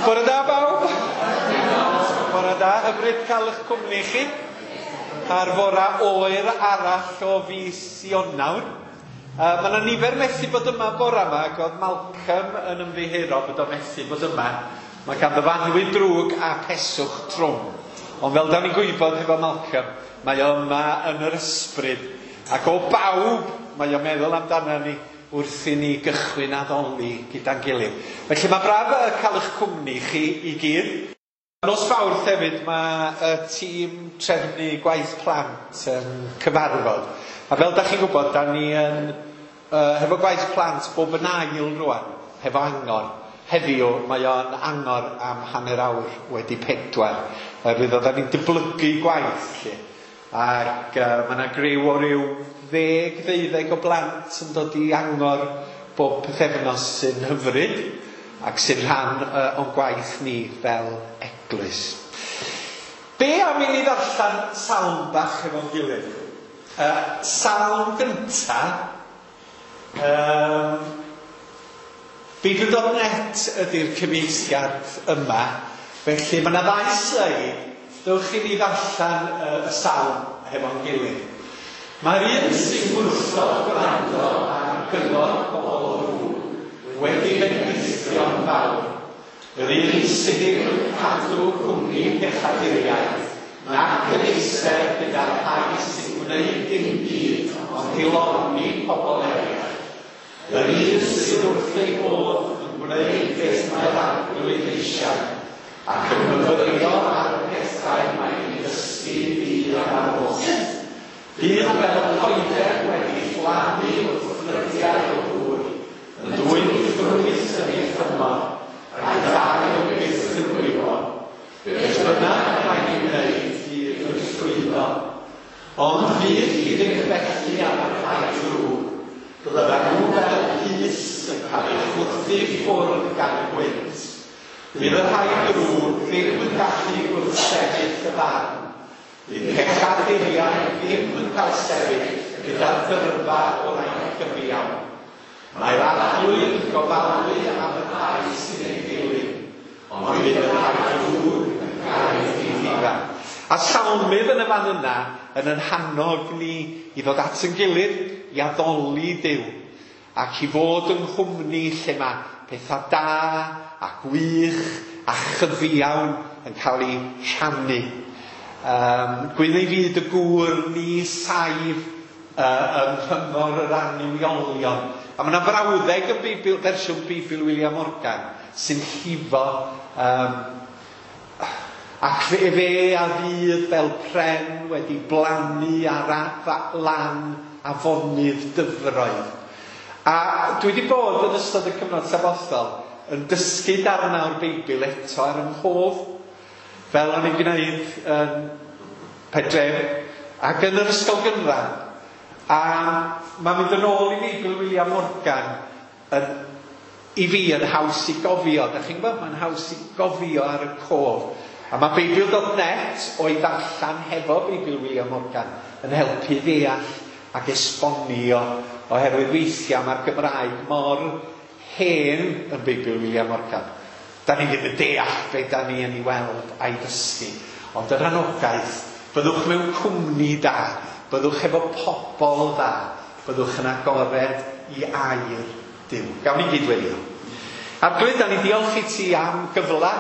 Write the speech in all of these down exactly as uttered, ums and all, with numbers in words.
Bore da bawb. Bore da, hyfryd cael eich cwmni chi ar fora oer arall o fis Ionawr. Uh, mae yna nifer methu bod yma bora yma, ac oedd Malcolm yn ymddiheuro bod o methu bod yma. Mae ganddo fo annwyd drwg a peswch trwm. Ond fel da ni'n gwybod hefo Malcolm, mae o yma yn yr ysbryd. Ac o bawb, mae o'n meddwl amdano ni wrth i ni gychwyn addoli gyda'n gilydd. Felly mae braf cael eich cwmni chi i gyd. Nos Fawrth hefyd mae y tîm trefnu gwaith plant yn cyfarfod. A fel da chi'n gwybod, da ni yn, uh, hefo gwaith plant bob yn ail rwan, hefo angor. Heddiw mae o'n angor am hanner awr wedi pedwar. Oherwydd oedden ni'n dyblygu gwaith lle. Ac uh, mae yna griw o ryw ddeg, ddeuddeg o blant yn dod i angor bob pythefnos sy'n hyfryd ac sy'n rhan uh, o'n gwaith ni fel eglwys. Be am i ni ddarllen salm bach efo'n gilydd? Uh, salm gynta, um, Beibl dot net ydy'r cyfieithiad yma, felly mae yna ddau sleid. Dewch i ni ddarllen uh, y salm hefo'n gilydd. Mae'r un sy'n gwrthod gwrando ar gyngor pobl ddrwg wedi bendithio'n fawr. Yr un sydd ddim yn cadw cwmni pechaduriaid, nac yn eistedd gyda'r rhai sy'n gwneud dim byd ond dilorni pobl eraill. Yr un sydd wrth ei bodd yn gwneud beth mae'r Arglwydd eisiau, ac yn myfyrio ar y pethau mae'n ei ddysgu ddydd a nos. Bydd fel coeden wedi phlannu wrth ffrydiau o ddŵr, yn dwyn ffrwyth yn ei thymor, a'i ddail byth yn gwywo. Beth bynnag mae'n ei wneud fydd yn llwyddo, ond fydd hi ddim felly am y rhai drwg. Byddan nhw fel pys yn cael ei chwythu ffwrdd gan y gwynt. Bydd y rhai drwg ddim yn gallu gwrthsefyll y farn. Bydd pechaduriaid ddim yn cael sefyll gyda'r dyrfa o rai cyfiawn. Mae'r Arglwydd yn gofalu am y rhai sy'n ei ddilyn, ond bydd y rhai drwg yn cael ei ddifetha. A salmydd yn y fan yna yn ein hannog ni i ddod at yn gilydd, i addoli Duw, ac i fod yng nghwmni lle mae pethau da a gwych a chyfiawn yn cael eu rhannu. Um, Gwyn ei fyd y gŵr ni saif uh, yng nghyngor yr annuwiolion. A mae yna frawddeg yn Beibl, fersiwn Beibl William Morgan sy'n llifo um, ac fe, fe a fydd fel pren wedi blannu ar lan afonydd dyfroedd. A dwi wedi bod yn ystod y cyfnod sabothol yn dysgu darnau o'r Beibl eto ar yng nghof, fel o'n i'n gwneud yn Pedref ac yn yr ysgol gynradd. A mae'n mynd yn ôl i Beibl William Morgan yn, i fi yn haws i gofio. Da chi'n gwybod? Mae'n haws i gofio ar y cof. A mae Beibl dot net o'i ddarllen hefo Beibl William Morgan yn helpu ddeall ac esbonio, oherwydd weithiau mae'r Gymraeg mor hen yn Beibl William Morgan. Da ni ddim yn deall be da ni yn ei weld a'i ddysgu. Ond yr anogaeth, byddwch mewn cwmni da, byddwch efo pobl dda, byddwch yn agored i air Duw. Gawn ni gyd weddio. Arglwydd, da ni diolch i ti am gyfle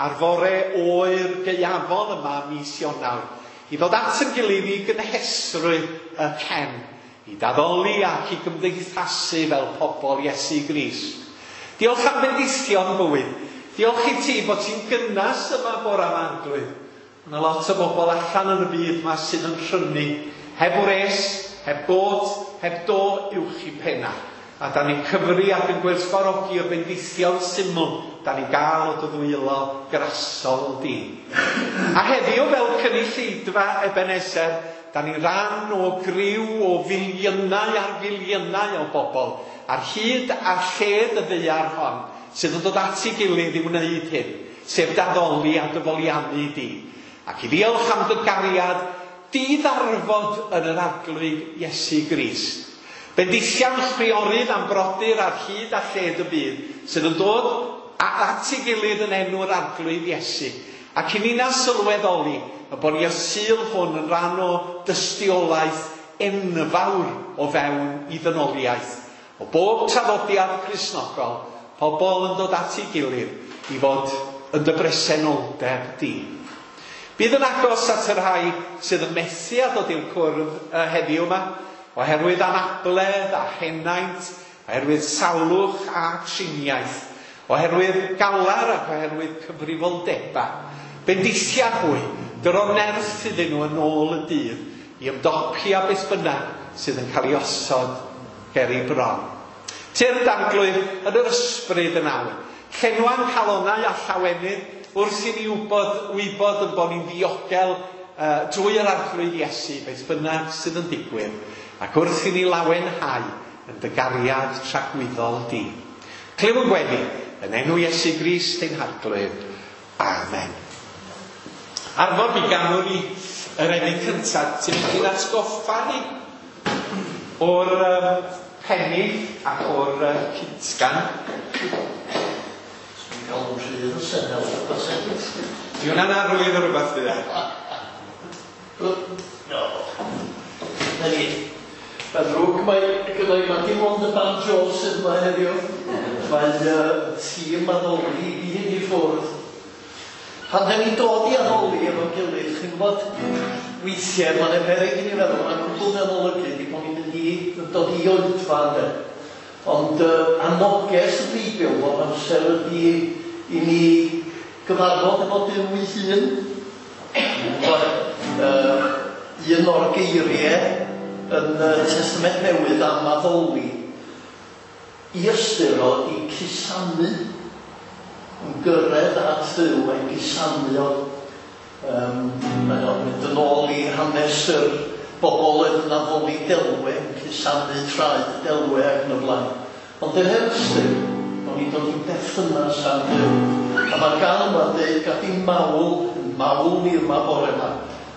ar fore oer gaeafol yma mis Ionawr, i ddod at yn gilydd i gynhesrwydd y cen, i daddoli ac i gymdeithasu fel pobl Iesu Grist. Diolch am bendithion bywyd. Diolch i ti bod ti'n gynnas yma bora yma, Arglwydd. Mae yna lot o bobl allan yn y byd yma sydd yn rhynnu, heb wres, heb got, heb do uwch i penna. A da ni'n cyfri ac yn gwerthfawrogi o bendithion syml da ni'n gael o dy ddwylo grasol di. A heddiw fel cynulleidfa Ebenezer, da ni'n rhan o griw o filiynau ar filiynau o bobl ar hyd a lled y ddaear hon sydd yn dod at ei gilydd i wneud hyn, sef daddoli a dyfoliannu di. Ac i ddiolch am dy gariad di-ddarfod yn yr Arglwydd Iesu Grist. Bendithiam chwiorydd am brodyr ar hyd a lled y byd sydd yn dod a at ei gilydd yn enw'r Arglwydd Iesu, ac i ni'n sylweddoli y bod ni y Sul hwn yn rhan o dystiolaeth enfawr o fewn i ddynoliaeth. O bob traddodiad Cristnogol, pobl yn dod at ei gilydd i fod yn dy bresenoldeb di. Bydd yn agos at y rhai sydd yn methu a dod i'r cwrdd heddiw yma, oherwydd anabledd a henaint, oherwydd salwch a triniaeth, oherwydd galar ac oherwydd cyfrifoldeba. Bendithia hwy, dyro nerth iddyn nhw yn ôl y dydd i ymdopi â beth bynnag sydd yn cael ei osod ger ei bron. Tyrd Arglwydd yn yr ysbryd yn awr. Llenwa'n calonnau a llawenydd wrth i ni wybod, wybod yn bod ni'n ddiogel uh, drwy yr Arglwydd Iesu, beth bynnag sydd yn digwydd, ac wrth i ni lawenhau yn dy gariad tragwyddol di. Clyw yn gweddi, yn enw Iesu Grist ein Harglwydd. Amen. Arfon mi ganwn ni yr emyn cyntaf, ti'n mynd i'n atgoffa ni o'r um, pennill ac o'r uh, cytgan. Dwi'n cael yn rhydd o senel. Di hwnna'n arwydd o rhywbeth fydd e? No. Na ni. Mae'n ddrwg, mae gyda'i mae dim ond y banjo sydd yma heddiw. Mae uh, tîm addoli i gyd i ffwrdd. Pan da ni'n dod i addoli efo'n gilydd, chi'n gwybod, weithiau mae'n yna peryg i ni feddwl, mae'n cwbl feddwl olygu ydy bod ni'n mynd i dod i oedfa, ynde. Ond uh, anoges y Beibl bob amser ydy i ni gyfarfod efo Duw ei hun. Uh, un o'r geiriau yn y Testament Newydd am addoli i ystyr o i cusanu, yn gyrraedd at Dduw, mae'n cusanu o. Um, mae'n mynd yn ôl i hanes yr bobl oedd yn addoli delwe, yn cusanu traed delwe ac yn y blaen. Ond yn yr ystyr, o'n i'n dod i berthynas â Duw. A mae'r gan yma'n dweud, gad i'n mawl, mawl ni yma bore yma,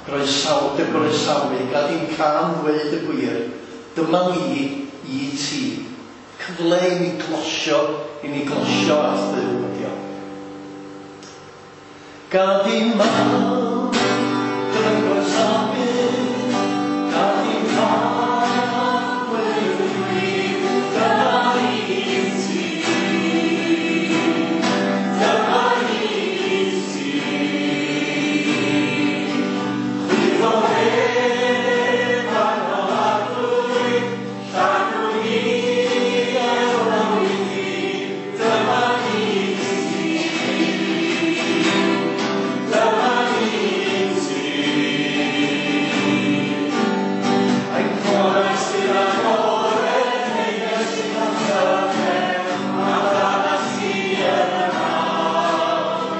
groesaw, dy groesawu, gad i'n can ddweud y gwir, dyma ni i ti. Cyfle i ni glosio, i ni glosio at Dduw ydi o. Gad i'n mawl, dy groesawu, gad i'n can ddweud y gwir, dyma ni i ti. Dyma ni i ti. Chwyddo heb arno arglwydd, llanw ni efo bywyd i, dyma ni i ti. Dyma ni i ti. Ein corau sydd agored, neges sydd am gyfer, amdanat ti yn y naw.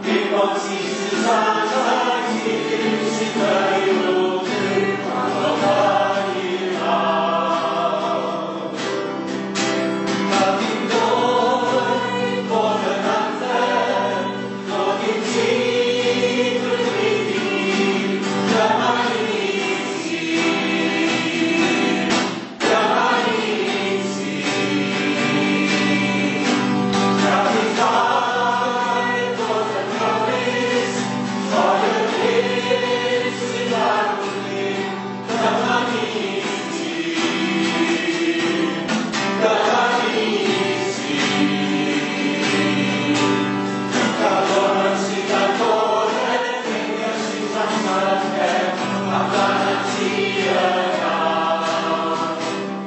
Dim ond ti sy'n sanctaidd, ti Dduw sy'n byw, Duw adnodau i law. Gad i'n dod, bod yn anferth, dod i'n ti drwy di, dyma ni i ti. Dyma ni i ti. Gad i'n gael dod yn gymwys, troi yr hyn sydd arni, dyma ni i ti. Dyma ni i ti. Calon sydd agored, neges sydd anferth, amdanat ti yn awr.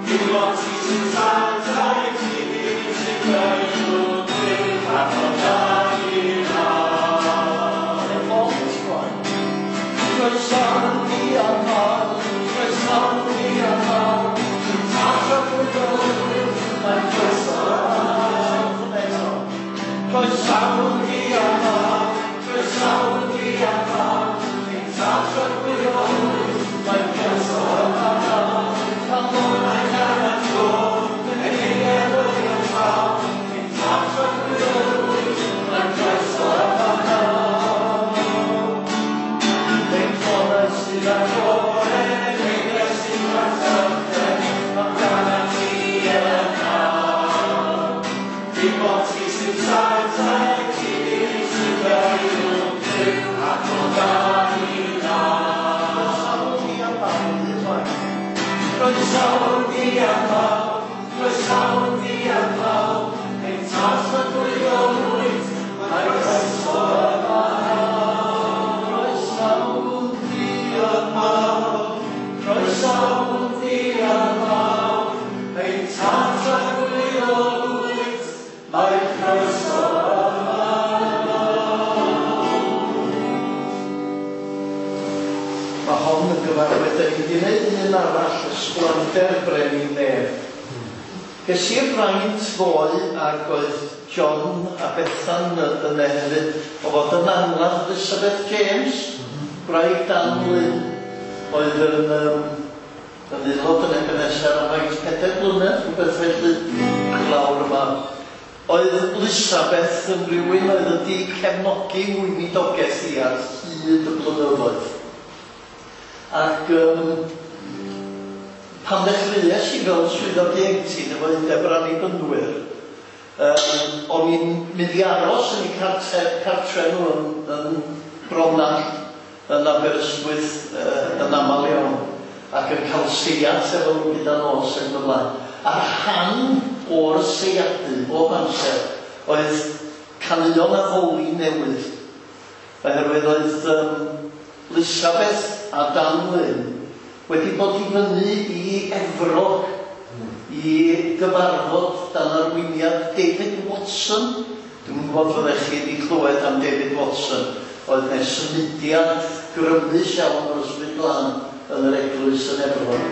Dim ond ti sy'n sanctaidd, ti Dduw sy'n byw, Duw adnodau i lawr. Croesawu am croesawu am mae'n croeso Croesawu am croesawu am ein tad tragwyddol, mae'n croeso Calonnau gan y dod, yn ei erwydd llaw, ein tad tragwyddol, mae'n croeso Ein corau sydd agored, neges sydd anferth, amdanat ti yn awr. Dim ond ti sy'n sanctaidd, Croesawn ni am bawb, un waith. Croesawn ni am bawb, croesawn ni am bawb, ein Tad tragwyddol wyt, mae croeso yma. Croesawn di yma, croesawn di yma, ein Tad tragwyddol wyt, mae croeso yma. Mae hon yn gyfarwydd, da ni wedi gwneud un arall, Ysblander Brenin Nef. Ges i'r fraint ddoe ac oedd John a Bethan yna hefyd o fod yn angladd Elizabeth James, gwraig Dan Lynn, oedd yn, um, yn aelod yn Ebenezer am faint pedair blynedd, rhywbeth felly, lawr yma. Oedd Elizabeth yn rhywun oedd wedi cefnogi weinidogaeth i ar hyd y blynyddoedd. Ac um, pan ddechreuais i fel swyddog ieuenctid efo Undeb yr Annibynwyr, um, o'n i'n mynd i aros yn eu cartre, cartre nhw yn, yn Bronall, yn Aberystwyth, uh, yn aml iawn, ac yn cael seiat efo nhw gyda nos ac yn y blaen. A rhan o'r seiadu bob amser oedd caneuon addoli newydd, oherwydd oedd um, Elizabeth a Dan Lynn wedi bod i fyny i Efrog i gyfarfod dan arweiniad David Watson. Dwi'n gwybod fyddech chi wedi clywed am David Watson. Oedd yna symudiad grymus iawn o'r Ysbryd Glân yn yr eglwys yn Efrog.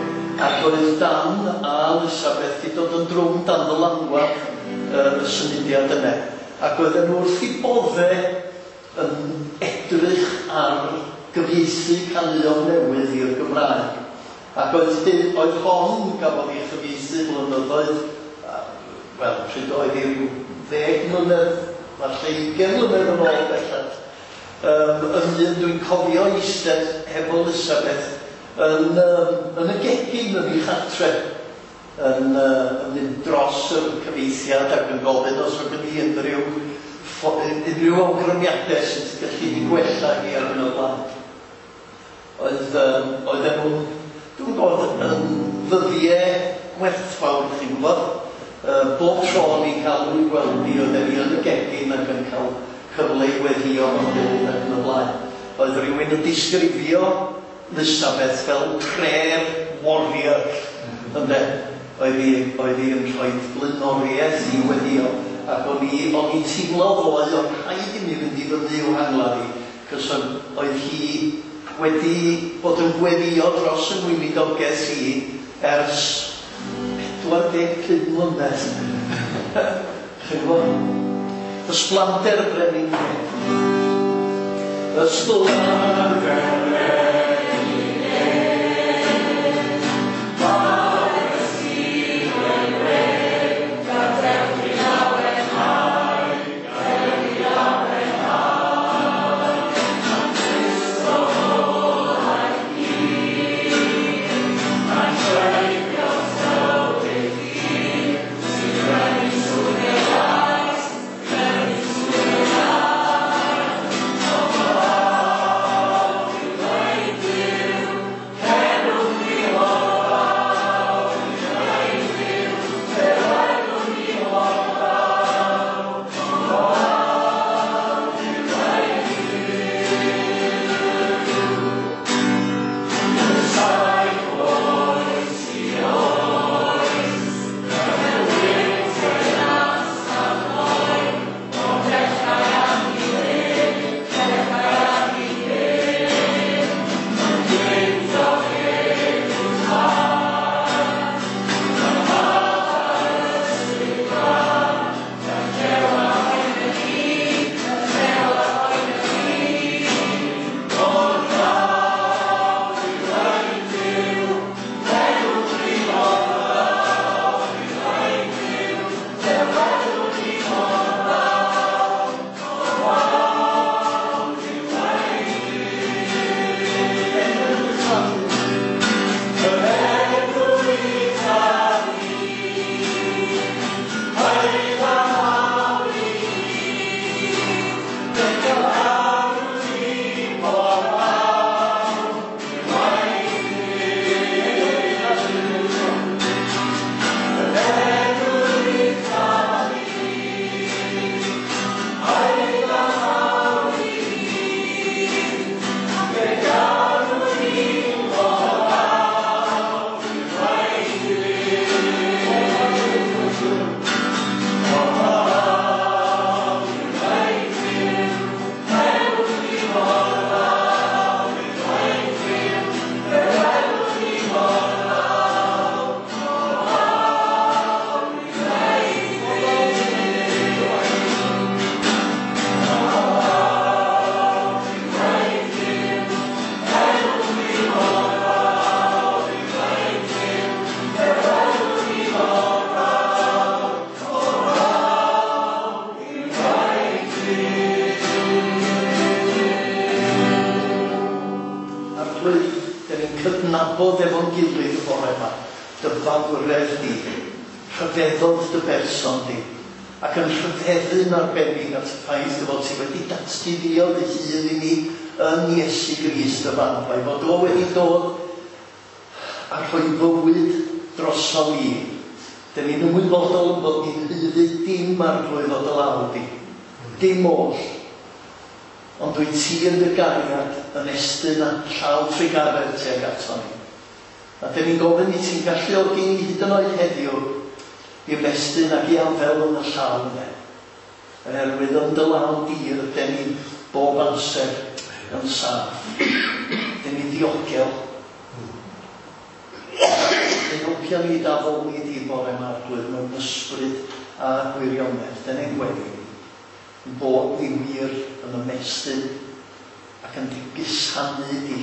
Ac oedd Dan a Elizabeth wedi dod yn drwm dan ddylanwad uh, y symudiad yna. Ac oedden nhw wrth eu bodde yn edrych ar gyfieithu caneuon newydd i'r Gymraeg. Ac oedd, oedd hon gafodd ei chyfieithu blynyddoedd, wel, pryd oedd hi ryw ddeg mlynedd, falle ugain mlynedd yn ôl bellach. Um, yn un dwi'n cofio eistedd hefo Elizabeth yn, um, yn y gegin yn ei chartre, yn, uh, yn mynd dros y cyfieithiad ac yn gofyn os oedd gen i unrhyw, unrhyw awgrymiadau sy'n gallu ei gwella hi ar hyn o blaen. Oedd, um, oedden nhw'n, dwi'n gwybod, yn ddyddiau gwerthfawr, chi'n gwybod. Uh, bob tro ni'n cael nhw'n gweld ni, oedden ni yn y gegin ac yn cael cyfle i weddïo mewn gilydd ac yn y blaen. Oedd rhywun yn disgrifio Elizabeth fel prayer warrior, ynde? Oedd hi, oedd hi yn rhoi blaenoriaeth i weddïo. Ac o'n i, o'n i'n teimlo ddoe, o'n rhaid i mi fynd i fyny i'w hangladd hi, cos oedd hi wedi bod yn gweddïo dros y weinidogaeth i ers pedwar deg pump mlynedd. Chi'n gwybod? Ysblander y Brenin Nef. Ysblander y Brenin Nef, mawr y sydd yn wedd, gadewch i lawenhau, gadewch i lawenhau. Cristo aeth hyd, mae'n treiddio tywydd hir, sy'n prynu sŵn ei lais, prynu sŵn ei lais. O fawr yw Arglwydd, dan ni'n cydnabod efo'n gilydd y bore yma, dy fawredd di, rhyfeddod dy berson di, ac yn rhyfeddu'n arbennig at y ffaith dy fod ti wedi datguddio dy hun i ni yn Iesu Grist y fab, a'i fod o wedi dod a rhoi bywyd drosom ni. Dan ni'n ymwybodol yn bod ni'n haeddu dim Arglwydd o dy law di, dim oll. Ond dwi ti yn dy gariad yn estyn a llaw trugaredd tuag ato ni. A dyn ni'n gofyn i ti'n galluogi ni hyd yn oed heddiw i ymestyn ac i afael yn y llaw yna. Oherwydd yn dy law di rydyn ni bob amser yn saff. Dyn ni'n ddiogel. Dyn helpio ni d'addoli di bore yma, Arglwydd, mewn ysbryd a gwirionedd. Dyn ni'n gweddi bod ni wir yn ymestyn ac yn gusanu di,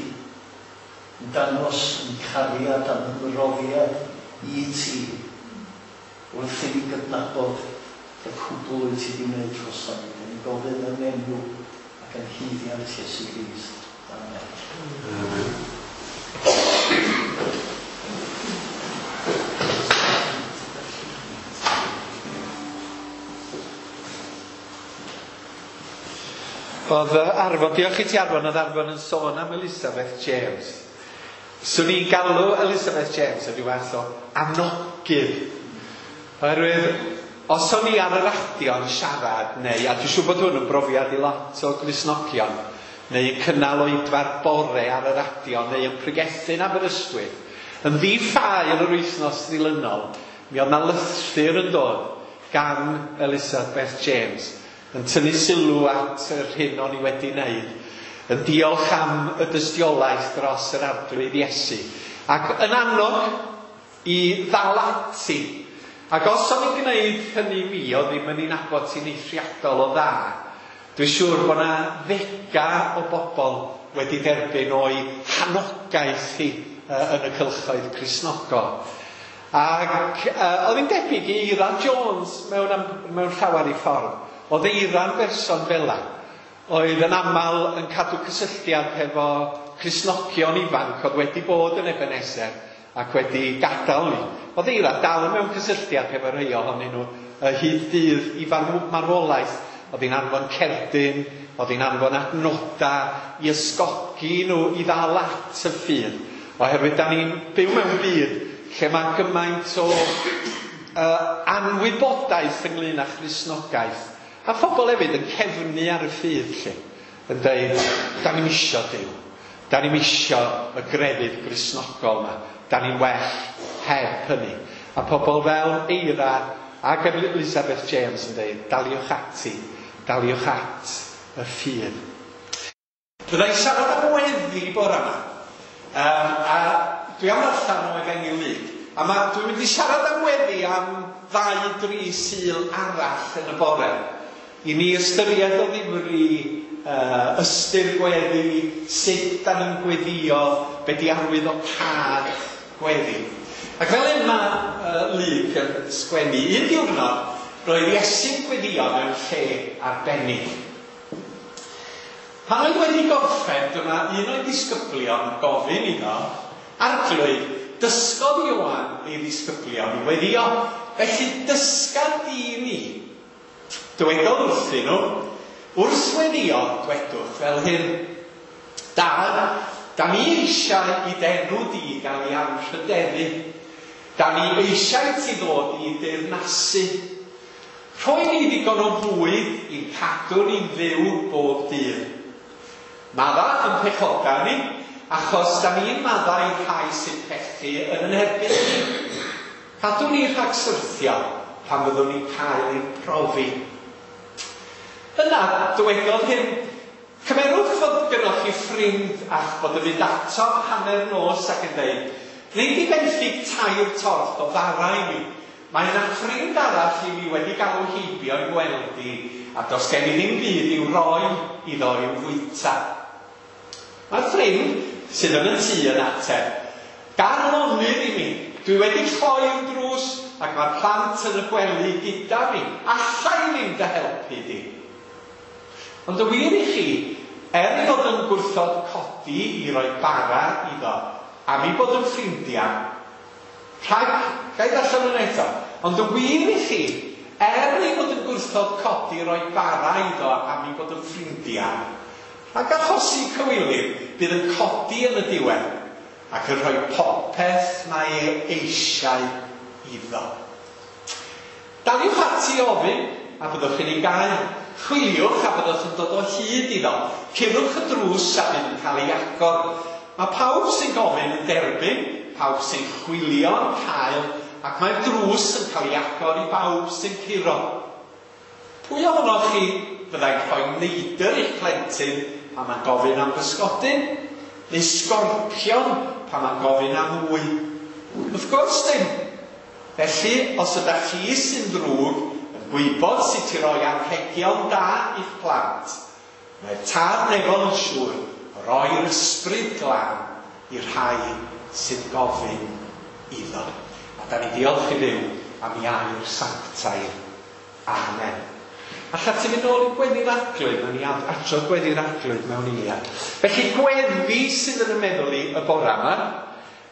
yn dangos yn cariad a'n ymroddiad i ti wrth i ni gydnabod y cwbl wyt ti wedi wneud droson ni. Dyn ni'n gofyn yn enw ac yn haeddiant Iesu Grist. Amen. Amen. Oedd Arfon, diolch i ti Arfon, oedd Arfon yn sôn am Elizabeth James. Swn i'n galw Elizabeth James yn rhyw fath o anogydd. Oherwydd, os o'n i ar y radio yn siarad, neu, a dwi'n siŵr bod hwn yn brofiad i lot o Gristnogion, neu yn cynnal oedfa'r bore ar y radio, neu yn pregethu yn Aberystwyth, yn ddi-ffael yr wythnos ddilynol, mi oedd 'na lythyr yn dod gan Elizabeth James, yn tynnu sylw at yr hyn o'n i wedi wneud, yn diolch am y dystiolaeth dros yr Arglwydd Iesu, ac yn annog i ddal ati. Ac os o'n i'n gwneud hynny mi, o ddim yn ei nabod ti'n eithriadol o dda, dwi'n siŵr bod yna ddega o bobl wedi derbyn o'i hanogaeth hi yn y cylchoedd Cristnogol. Ac uh, oedd hi'n debyg i Eira Jones mewn, am, mewn llawer i ffordd. Oedd Eira'n berson fela, oedd yn aml yn cadw cysylltiad hefo Cristnogion ifanc oedd wedi bod yn Ebenezer ac wedi gadael ni. Oedd Eira dal mewn cysylltiad hefo rhai ohonyn nhw hyd dydd i marwolaeth. Oedd hi'n anfon cerdyn, oedd hi'n anfon adnoda i ysgogi nhw i ddal at y ffydd. Oherwydd da ni'n byw mewn byd lle mae gymaint o uh, anwybodaeth ynglyn â Christnogaeth. A phobl hefyd yn cefnu ar y ffydd lle, yn dweud, da ni'm isio Duw, da ni'm isio y grefydd Gristnogol yma, da ni'n well heb hynny. A pobl fel Eira ac Elizabeth James yn dweud, daliwch ati, daliwch at y ffydd. Byddai'n siarad am weddi bore yma, um, a dwi am ddarllen o Efengyl Luc, a ma, dwi'n mynd i siarad am weddi am ddau dri Sul arall yn y bore. I ni ystyried o ddifri uh, ystyr gweddi, sut da ni'n gweddio, be di arwydd o cad gweddi. Ac fel hyn mae uh, Luc yn sgwennu, un diwrnod roedd Iesu'n gweddio mewn lle arbennig. Pan oedd wedi gorffen, dyma un o'i ddisgyblion yn gofyn iddo, Arglwydd, dysgodd Ioan ei ddisgyblion i weddio, felly dysga di ni. Dywedodd wrthyn nhw, wrth weddio, dwedwch fel hyn, Dad, da ni eisiau i d'enw di gael ei anrhydeddu. Da ni eisiau ti ddod i deyrnasu. Rhoi ni ddigon o fwyd i'n cadw ni'n fyw bob dydd. Madda yn pechoda ni, achos da ni'n maddau i'r rhai sy'n pechu yn yn erbyn ni. Cadw ni rhag syrthio pan fyddwn ni'n cael ein profi. Yna, dywedodd hyn, cymerwch fod gynnwch chi ffrind a'ch bod yn mynd ato hanner nos ac yn dweud, wnei di benthyg tair torth o fara i mi. Mae yna ffrind arall i mi wedi galw heibio i gweld i, a does gen i ddim byd i'w roi iddo i'w fwyta. Mae'r ffrind sydd yn y tŷ yn ateb, gar lonydd i mi, dwi wedi cloi'r drws ac mae'r plant yn y gwely gyda fi, alla i ddim dy helpu di. Ond y wir i chi, er ei fod yn gwrthod codi i roi bara iddo, am ei bod yn ffrindiau, rhag, ga i ddarllen hwnna eto, ond y wir i chi, er ei fod yn gwrthod codi i roi bara iddo am ei bod yn ffrindiau, rhag achosi cywilydd, bydd yn codi yn y diwedd ac yn rhoi popeth mae e eisiau iddo. Daliwch ati i ofyn, a byddwch chi'n ei gael. Chwiliwch a byddwch yn dod o hyd iddo. Curwch y drws a bydd yn cael ei agor. Mae pawb sy'n gofyn yn derbyn, pawb sy'n chwilio yn cael, ac mae'r drws yn cael ei agor i bawb sy'n curo. Pwy ohonoch chi fyddai'n rhoi neidr i'ch plentyn pan mae'n gofyn am bysgodyn, neu sgorpion pan mae'n gofyn am wy? Wrth gwrs dim. Felly, os ydych chi sy'n ddrwg yn gwybod sut i roi anrhegion da i'ch plant, mae'r Tad nefol yn siŵr o roi'r Ysbryd Glân i'r rhai sy'n gofyn iddo. A da ni diolch i Dduw am ei air sanctaidd. Amen. Alla ti fynd nôl i Gweddi'r Arglwydd, nawn ni adrodd Gweddi'r Arglwydd mewn eiliad. Felly gweddi sydd yn y meddwl i y bora yma,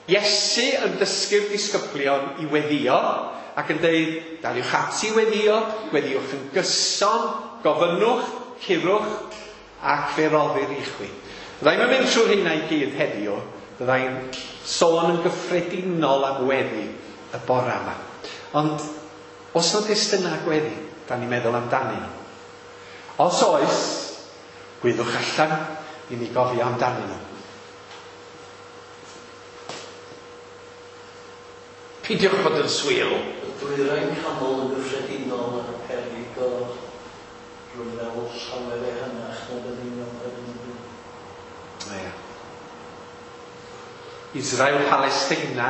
Iesu yn dysgu'r disgyblion i weddio ac yn dweud, daliwch ati i weddio, gweddiwch yn gyson, gofynnwch, curwch, ac fe roddir i chwi. Fyddai'n mynd trwy'r hynna i gyd heddiw, fyddai'n sôn yn gyffredinol am weddi y bora yma. Ond os na destunau gweddi, da ni'n meddwl amdanyn nhw. Os oes, gwyddwch allan i ni gofio amdanyn nhw. Peidiwch bod yn swil. Y dwyrain canol yn gyffredinol yn y peryg o rhyfel llawer ehangach na bydden ni'n meddwl ar hyn o bryd. Ie. Israel, Palestina,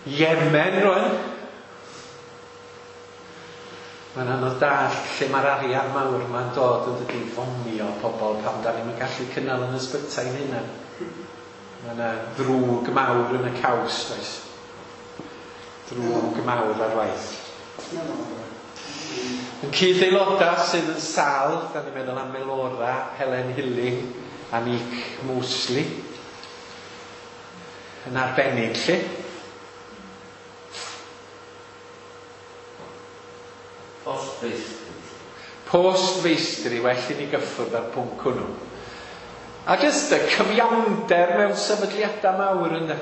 Yemen rwan. Mae'n anodd dallt lle mae'r arian mawr ma'n dod yn dydi fomio pobl pan da ni'n gallu cynnal yn ysbytai hynna. Mae yna ddrwg mawr yn y caws, does? Drwg mawr ar waith. Yn cyd-aelodau sydd yn sâl, da ni'n meddwl am Melora, Helen Hilling a Nick Mosley. Yn arbennig, lle. Postfeistri. Postfeistri, well i ni gyffwrdd ar pwnc hwnnw. A jyst y cyfiawnder mewn sefydliadau mawr ynddo.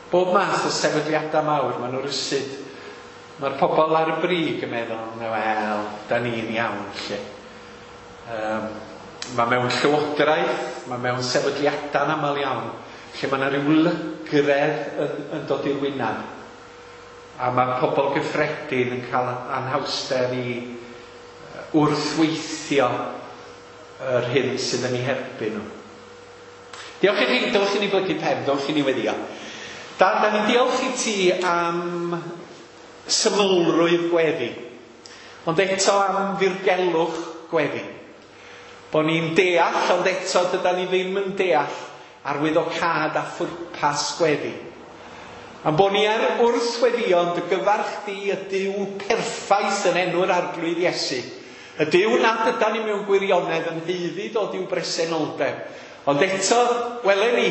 Bob math o sefydliadau mawr, maen nhw rywsut. Mae'r pobl ar y brig yn meddwl, wel, da ni'n iawn, lle. Um, mae mewn llywodraeth, mae mewn sefydliadau'n aml iawn, lle mae yna rhyw lygredd yn, yn dod i'r wyneb. A mae pobl gyffredin yn cael anhawster i wrthweithio yr hyn sydd yn eu herbyn nhw. Diolch i chi, dylch i ni blygu pen, dylch i ni weddio. Dad, da ni'n diolch i ti am symlrwydd gweddi, ond eto am ddirgelwch gweddi. Bo ni'n deall, ond eto dyda ni ddim yn deall arwyddocâd a phwrpas gweddi. Am bo ni ar wrth weddïo dy gyfarch di y Duw perffaith yn enw'r Arglwydd Iesu. Y Duw nad ydan ni mewn gwirionedd yn haeddu dod i'w bresenoldeb. Ond eto, welen ni,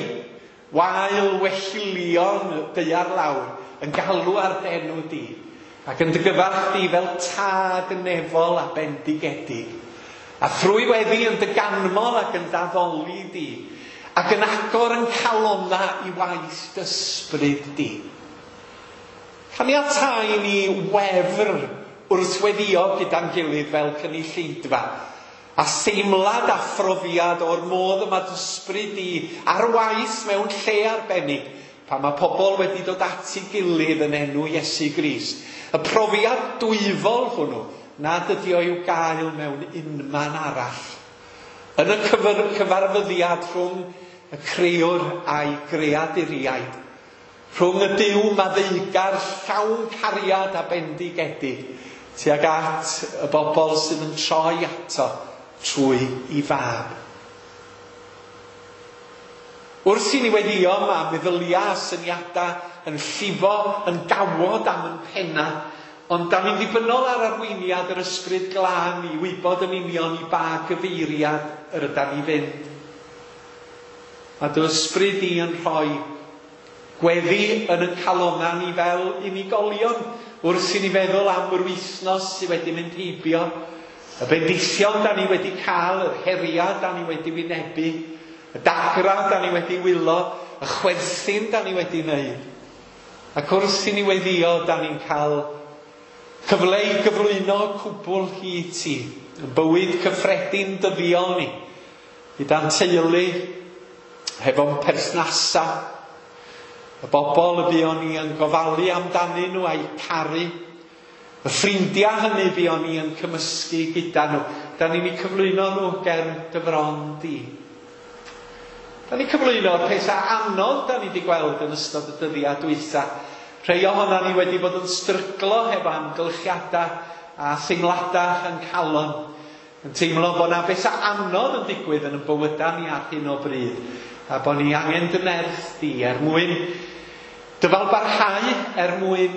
wael wellilion daear lawr yn galw ar d'enw di, ac yn dy gyfarch di fel tad nefol a bendigedig. A thrwy weddi yn dy ganmol ac yn daddoli di, ac yn agor yn calonna i waith d'ysbryd di. Caniatáu ni wefr wrth weddio gyda'n gilydd fel cynulleidfa, a theimlad a phrofiad o'r modd yma d'ysbryd di ar waith mewn lle arbennig, pan mae pobl wedi dod at ei gilydd yn enw Iesu Grist. Y profiad dwyfol hwnnw nad ydi o i'w gael mewn unman arall. Yn y cyfarfyddiad rhwng y crëwr a'i greaduriaid, rhwng y Duw maddeugar llawn cariad a bendigedig, tuag at y bobl sydd yn troi ato trwy i fab. Wrth i ni weddio, mae meddyliau a syniadau yn llifo, yn gawod am yn penna, Ond da ni'n ddibynnol ar arweiniad yr Ysbryd Glân i wybod yn union i ba gyfeiriad yr ydan ni fynd. Mae dy ysbryd di yn rhoi gweddi yn y calonna ni fel unigolion wrth i ni feddwl am yr wythnos sydd wedi mynd heibio, y bendithion da ni wedi cael, yr heriau da ni wedi wynebu, y dagra da ni wedi wylo, y chwerthin da ni wedi wneud. Ac wrth i ni weddio, da ni'n cael cyfle i gyflwyno cwbl i ti, yn bywyd cyffredin dyddiol ni, gyda'n teulu, hefo'n perthnasau, y bobl y buon ni yn gofalu amdanyn nhw a'u caru, y ffrindiau hynny buon ni yn cymysgu gyda nhw. Da ni'n eu cyflwyno nhw ger dy fron di. Da ni'n cyflwyno'r pethau anodd da ni wedi gweld yn ystod y dyddiau dwytha. Rhai ohonan ni wedi bod yn stryglo hefo amgylchiadau a theimladau yn calon, yn teimlo bod na bethau anodd yn digwydd yn y bywydau ni ar hyn o bryd, a bod ni angen dy nerth di er mwyn dyfalbarhau, er mwyn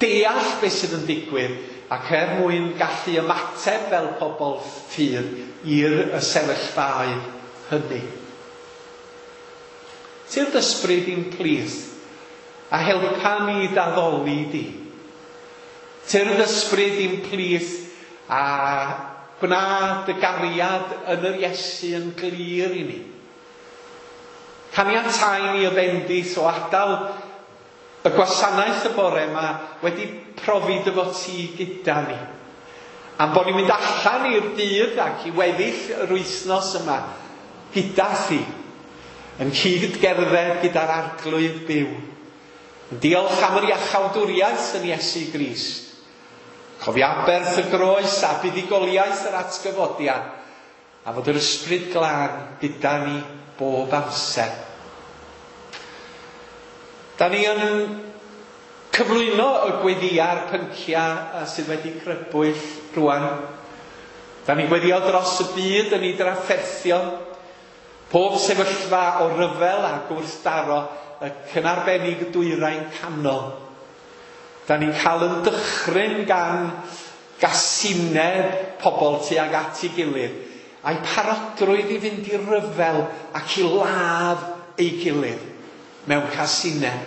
deall beth sydd yn digwydd, ac er mwyn gallu ymateb fel pobl ffydd i'r y sefyllfaoedd hynny. Tyrd ysbryd i'n plith, a helpa ni d'addoli di. Tyrd ysbryd i'n plith, a gwna dy gariad yn yr Iesu yn glir i ni. Caniatáu ni y bendith o adael y gwasanaeth y bore yma wedi profi dy fod ti gyda ni. Am bod ni'n mynd allan i'r dydd ac i weddill yr wythnos yma gyda thi, yn cyd gerdded gyda'r Arglwydd byw. Yn diolch am yr iachawdwriaeth yn Iesu Grist. Cofio aberth y groes a buddugoliaeth yr atgyfodiad, a fod yr Ysbryd Glân gyda ni bob amser. Da ni yn cyflwyno y gweddiau'r pynciau sydd wedi crybwyll rwan. Da ni'n gweddio dros y byd yn ei drafferthion, pob sefyllfa o ryfel a gwrthdaro, y cynarbennig dwyrain canol. Da ni'n cael yn dychryn gan gasineb pobl tuag at ei gilydd, a'i parodrwydd i fynd i ryfel ac i ladd ei gilydd mewn casineb.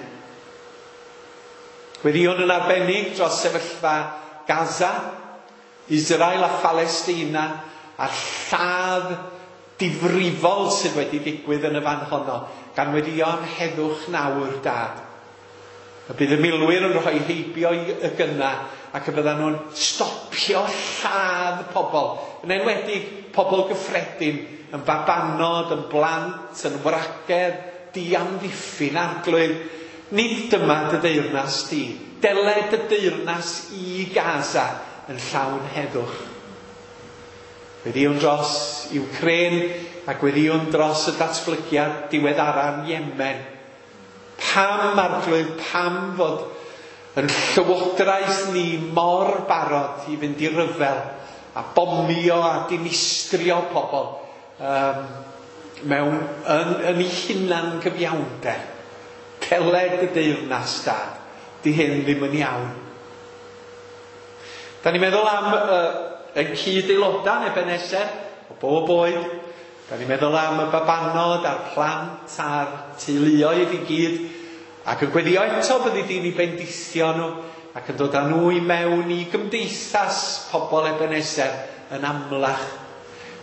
Gweddïwn yn arbennig dros sefyllfa Gaza, Israel a Phalestina, a'r lladd difrifol sydd wedi digwydd yn y fan honno, gan weddïo am heddwch nawr, Dad. Y bydd y milwyr yn rhoi heibio y gynna ac y byddan nhw'n stopio lladd pobl, yn enwedig pobl gyffredin, yn babanod, yn blant, yn wragedd, diamddiffyn. Arglwydd, nid dyma dy deyrnas di. Deled dy deyrnas i Gaza yn llawn heddwch. Gweddïwn dros Ukraine a gweddïwn dros y datblygiad diweddara'n Yemen. Pam, Arglwydd, pam fod yn llywodraeth ni mor barod i fynd i ryfel a bomio a dinistrio pobl um, mewn yn, yn ei hunan gyfiawnder. Deled y deyrnas, Dad. Di hyn ddim yn iawn. Da ni'n meddwl am uh, ein cyd-aelodau yn Ebenezer, o bob oed. Da ni'n meddwl am y babanod a'r plant a'r teuluoedd i gyd, ac yn gweddio eto byddi di'n eu bendithio nhw ac yn dod â nhw i mewn i gymdeithas pobl Ebenezer yn amlach.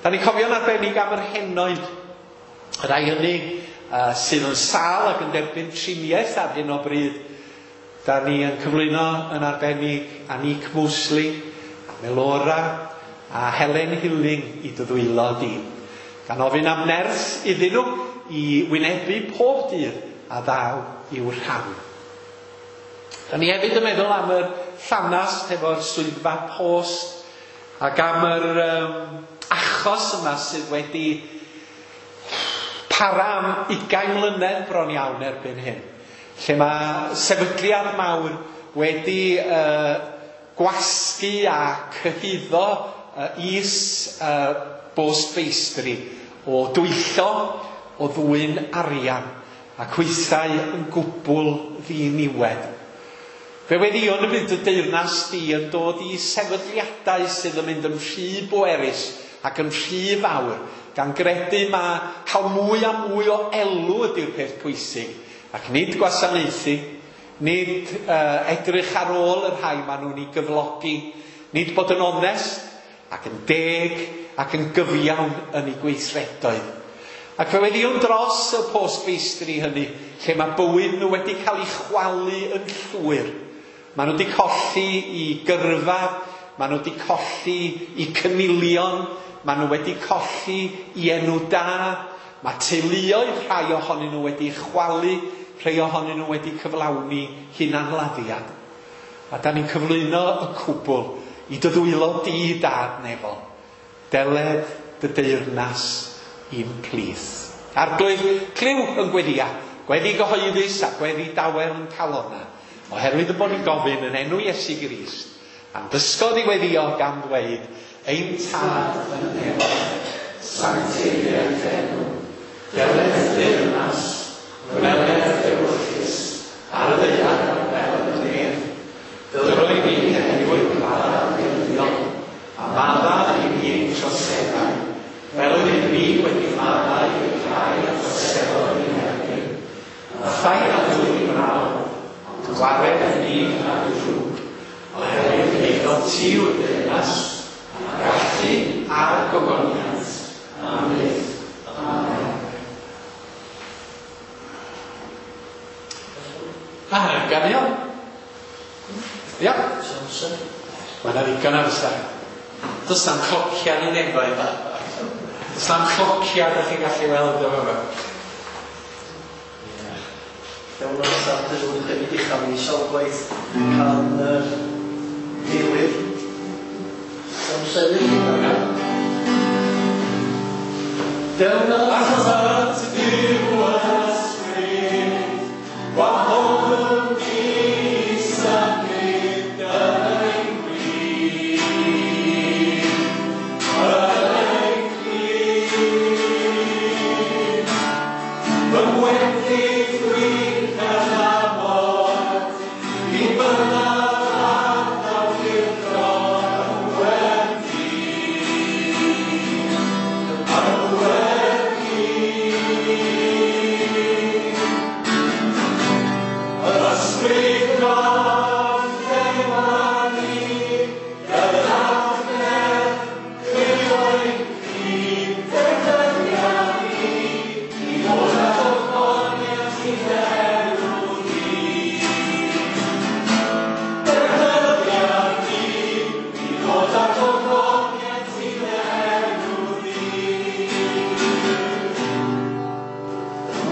Da ni'n cofio'n arbennig am yr henoed, y rhai hynny uh, sydd yn sâl ac yn derbyn triniaeth ar hyn o bryd. Da ni yn cyflwyno yn arbennig Anik Mosley, a Melora a Helen Hilling i dy ddwylo di. Gan ofyn am nerth iddyn nhw i wynebu pob dydd a ddaw i'w rhan. Da ni hefyd yn meddwl am yr llanast efo'r swyddfa post ac am yr um, achos yma sydd wedi para am ugain mlynedd bron iawn erbyn hyn, lle mae sefydliad mawr wedi uh, gwasgu a cyhuddo uh, is uh, bostfeistri o dwyllo, o ddwyn arian, ac weithiau yn gwbl ddiniwed. Fe weddïwn y bydd dy deyrnas di yn dod i sefydliadau sydd yn mynd yn rhy bwerus ac yn rhy fawr, gan gredu ma cael mwy a mwy o elw ydy'r peth pwysig, ac nid gwasanaethu, nid uh, edrych ar ôl y rhai maen nhw'n ei gyflogi, nid bod yn onest ac yn deg ac yn gyfiawn yn ei gweithredoedd. Ac fe weddïwn dros y postfeistri hynny, lle mae bywyd nhw wedi cael ei chwalu yn llwyr. Maen nhw wedi colli i gyrfa, maen nhw wedi colli i cynilion, maen nhw wedi colli i enw da, mae teuluoedd rhai ohonyn nhw wedi chwalu, rhai ohonyn nhw wedi cyflawni hunanladdiad. A da ni'n cyflwyno y cwbl i dy ddwylo di dad nefol. Deled dy deyrnas i'n plith. Arglwydd, clyw yn gweddia, gweddi gyhoeddus a gweddi dawel yn calona, oherwydd y bod ni'n gofyn yn enw Iesu Grist, a'n dysgodd i weddio gan ddweud, ein tad yn y nefoedd, sancteiddied dy enw, deled dy deyrnas, gwneled dy ewyllys, ar y ddaear fel yn y nef. Dyro i ni heddiw ein bara dyddiol, a madda i ni ein troseddau, fel ydym ni wedi maddau i'r rhai a droseddodd ein herbyn. A phaid â dwyn i braw, ond gwared ni rhag y drwg, oherwydd eiddo ti yw'r deyrnas, a'r gallu a'r gogoniant, am byth. Amen. Ah, ganio? Ia? Mae yna ddigon amser. Does na'm clocia yn ei nefoedd. Does na'm clocia ydych chi'n gallu weld efo fo. Iawn amser, dyn nhw'n hefyd uchaf ni sawl gwaith can uh, gilydd. Iawn sefyll. Dewn atat Duw ysbryd, gwahoddwn ni symud yn ein plith, yn ein plith. Fy ngwendid dwi'n cydnabod, mi byddaf ar awdurdod yn gweddi, yn gweddi. Yr ysbryd glân llenwa ni, gyda'r nerth clyw ein ffydd, defnyddia ni i ddod â gogoniant i dy enw di. Defnyddia ni i ddod â gogoniant i dy enw di.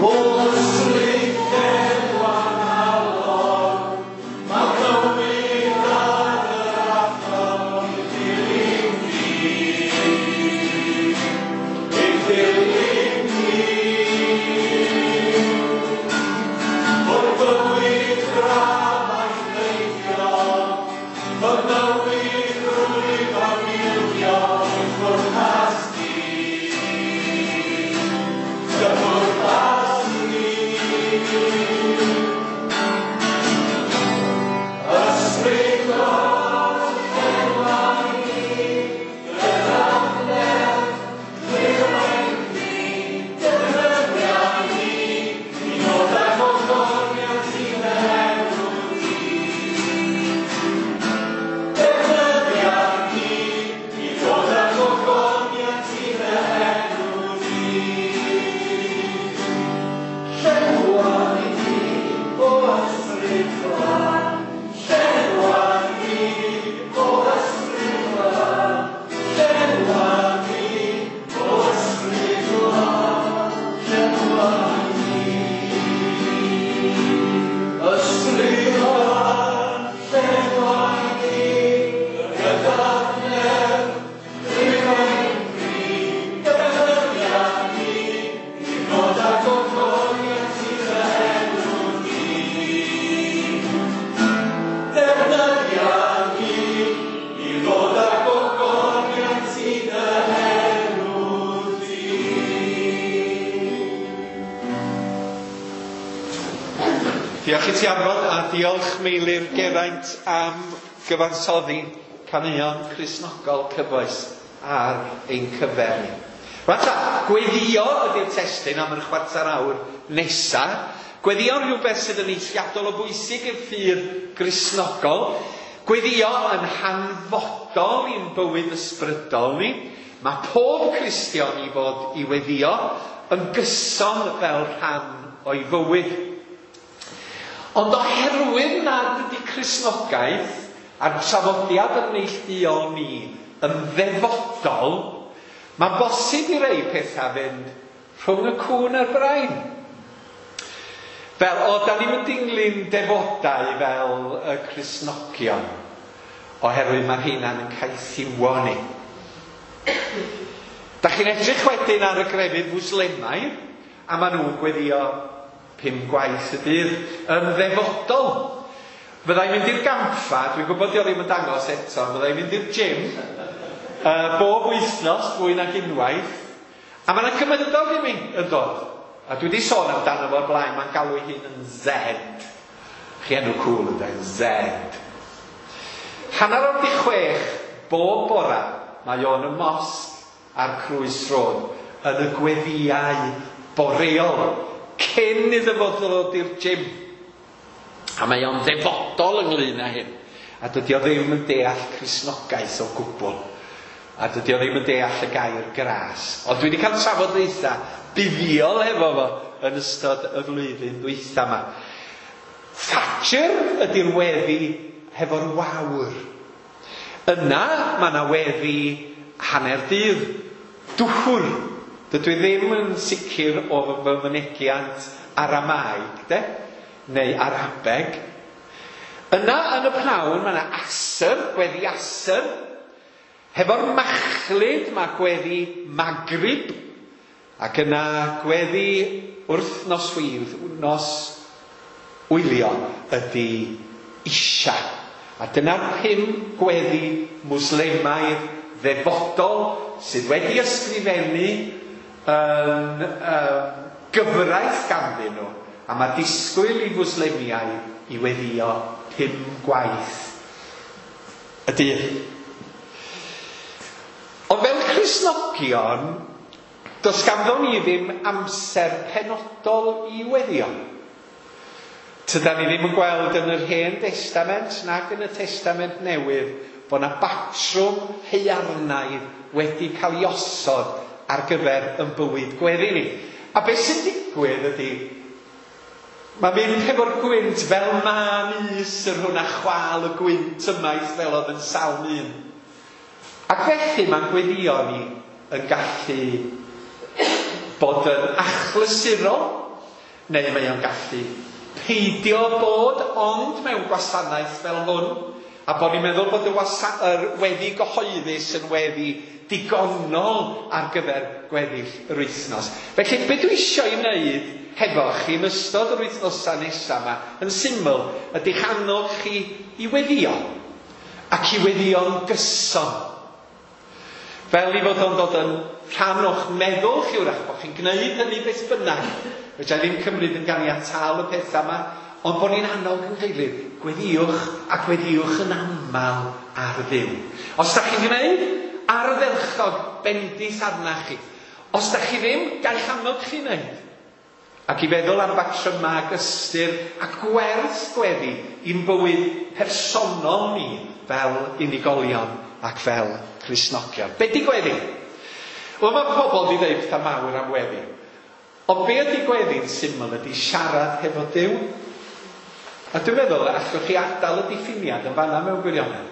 O ysbryd llenwa nghalon, mae bywyd ar yr afon i ddilyn di, i ddilyn di. O'r bywyd braf a'i beidio, fy mywyd rwyf am ildio i'th bwrpas di, dy bwrpas di. Ysbryd glân llenwa ni, gyda'r nerth clyw ein ffydd, defnyddia ni i ddod â gogoniant i dy enw di. Defnyddia ni i ddod â gogoniant i dy enw di. Llenwa ni, o ysbryd glân, llenwa ni, o ysbryd glân, llenwa ni, o ysbryd glân, llenwa ni. Ysbryd glân, llenwa ni, gyda'r nerth clyw ein ffydd, defnyddia ni i ddod â gogoniant i dy enw di. Defnyddia ni i ddod â gogoniant i dy enw di. Diolch i ti Arfon, a Diolch Meilir Geraint am gyfansoddi caneuon Cristnogol cyfoes ar ein cyfer ni. Rwan ta, gweddio ydy'r testun am yr chwarter awr nesa. Gweddio yn rhywbeth sydd yn eithriadol o bwysig i'r ffydd Gristnogol. Gweddio yn hanfodol i'n bywyd ysbrydol ni. Mae pob Cristion i fod i weddio yn gyson fel rhan o'i fywyd. Ond oherwydd nad ydy Cristnogaeth a'r traddodiad yn neilltuol ni yn ddefodol, mae'n bosib i rei pethau fynd rhwng y cŵn a'r brain. Fel, o, da ni'n mynd dinglyn defodau fel y Cristnogion, oherwydd mae'r heina'n yn caethiwo ni. Da chi'n edrych wedyn ar y grefydd Fwslemaidd, a maen nhw'n gweddio pum gwaith y dydd yn ddefodol. Fyddai'n mynd i'r gampfa, dwi'n gwybod di o ddim yn dangos eto, fyddai'n mynd i'r gym uh, bob wythnos, fwy nag unwaith, a mae yna cymydog i mi yn dod. A dwi wedi sôn amdano fo'r blaen, mae'n galw ei hun yn Z. Chi enw cŵl yn dweud, Z. Hanner awr di chwech, bob bora, mae o'n y mosg a'r Crwys Road yn y gweddiau boreol, cyn iddo fo ddod i'r gym. A mae o'n ddefodol ynglyn â hyn. A dydy o ddim yn deall Cristnogaeth o gwbl. A dydy o ddim yn deall y gair gras. Ond dwi wedi cael trafodaethau buddiol hefo fo yn ystod y flwyddyn ddwytha yma. Fajr ydy'r weddi hefo'r wawr. Yna mae yna weddi hanner dydd, dwhwr. Dydw i ddim yn sicr o fy mynegiant Aramaeg, de? Neu Arabeg. Yna yn y pnawn mae yna asr, gweddi asr. Hefo'r machlud mae gweddi Maghrib. Ac yna gweddi wrth nos wydd, nos wylio ydy Isha. A dyna'r pum gweddi Mwslemaidd ddefodol sydd wedi ysgrifennu yn um, gyfraith ganddyn nhw. A mae disgwyl i Fwslemiaid i weddio pum gwaith y dydd. Ond fel Cristnogion, does ganddo ni ddim amser penodol i weddio. Tydan ni ddim yn gweld yn yr Hen Testament nag yn y Testament Newydd bod yna batrwm haearnaidd wedi cael ei osod ar gyfer yn bywyd gweddi ni. A beth sy'n digwydd ydy, mae mynd hefo'r gwynt fel mân is yr hwn a chwal y gwynt ymaith fel oedd yn Salm un. Ac felly mae'n gweddio ni yn gallu bod yn achlysurol, neu mae o'n gallu peidio bod ond mewn gwasanaeth fel hwn, a bod ni'n meddwl bod y, wasa- yr weddi gyhoeddus yn weddi digonol ar gyfer gweddill yr wythnos. Felly, be dwi eisiau ei wneud hefo chi yn ystod yr wythnosau nesaf yma, yn syml, ydy'ch annog chi i weddio, ac i weddio'n gyson. Fel i fod o'n dod yn rhan o'ch meddwl chi wrach, bod chi'n gwneud hynny beth bynnag. Fedra i ddim cymryd yn ganiataol y pethau yma, ond bod ni'n annog yn gilydd, gweddiwch a gweddiwch yn aml ar Dduw. Os da chi'n gwneud, ardderchog bendith arnach chi. Os da chi ddim, gael annog chi wneud. Ac i feddwl am batrymau ac ystyr a gwerth gweddi i'n bywyd personol ni fel unigolion ac fel Cristnogion. Be di gweddi? Wel, mae pobl di ddeud pethau mawr am weddi. Ond be ydy gweddi'n syml ydy siarad hefo Duw. A dwi'n meddwl allwch chi adael y diffiniad yn fanna mewn gwirionedd.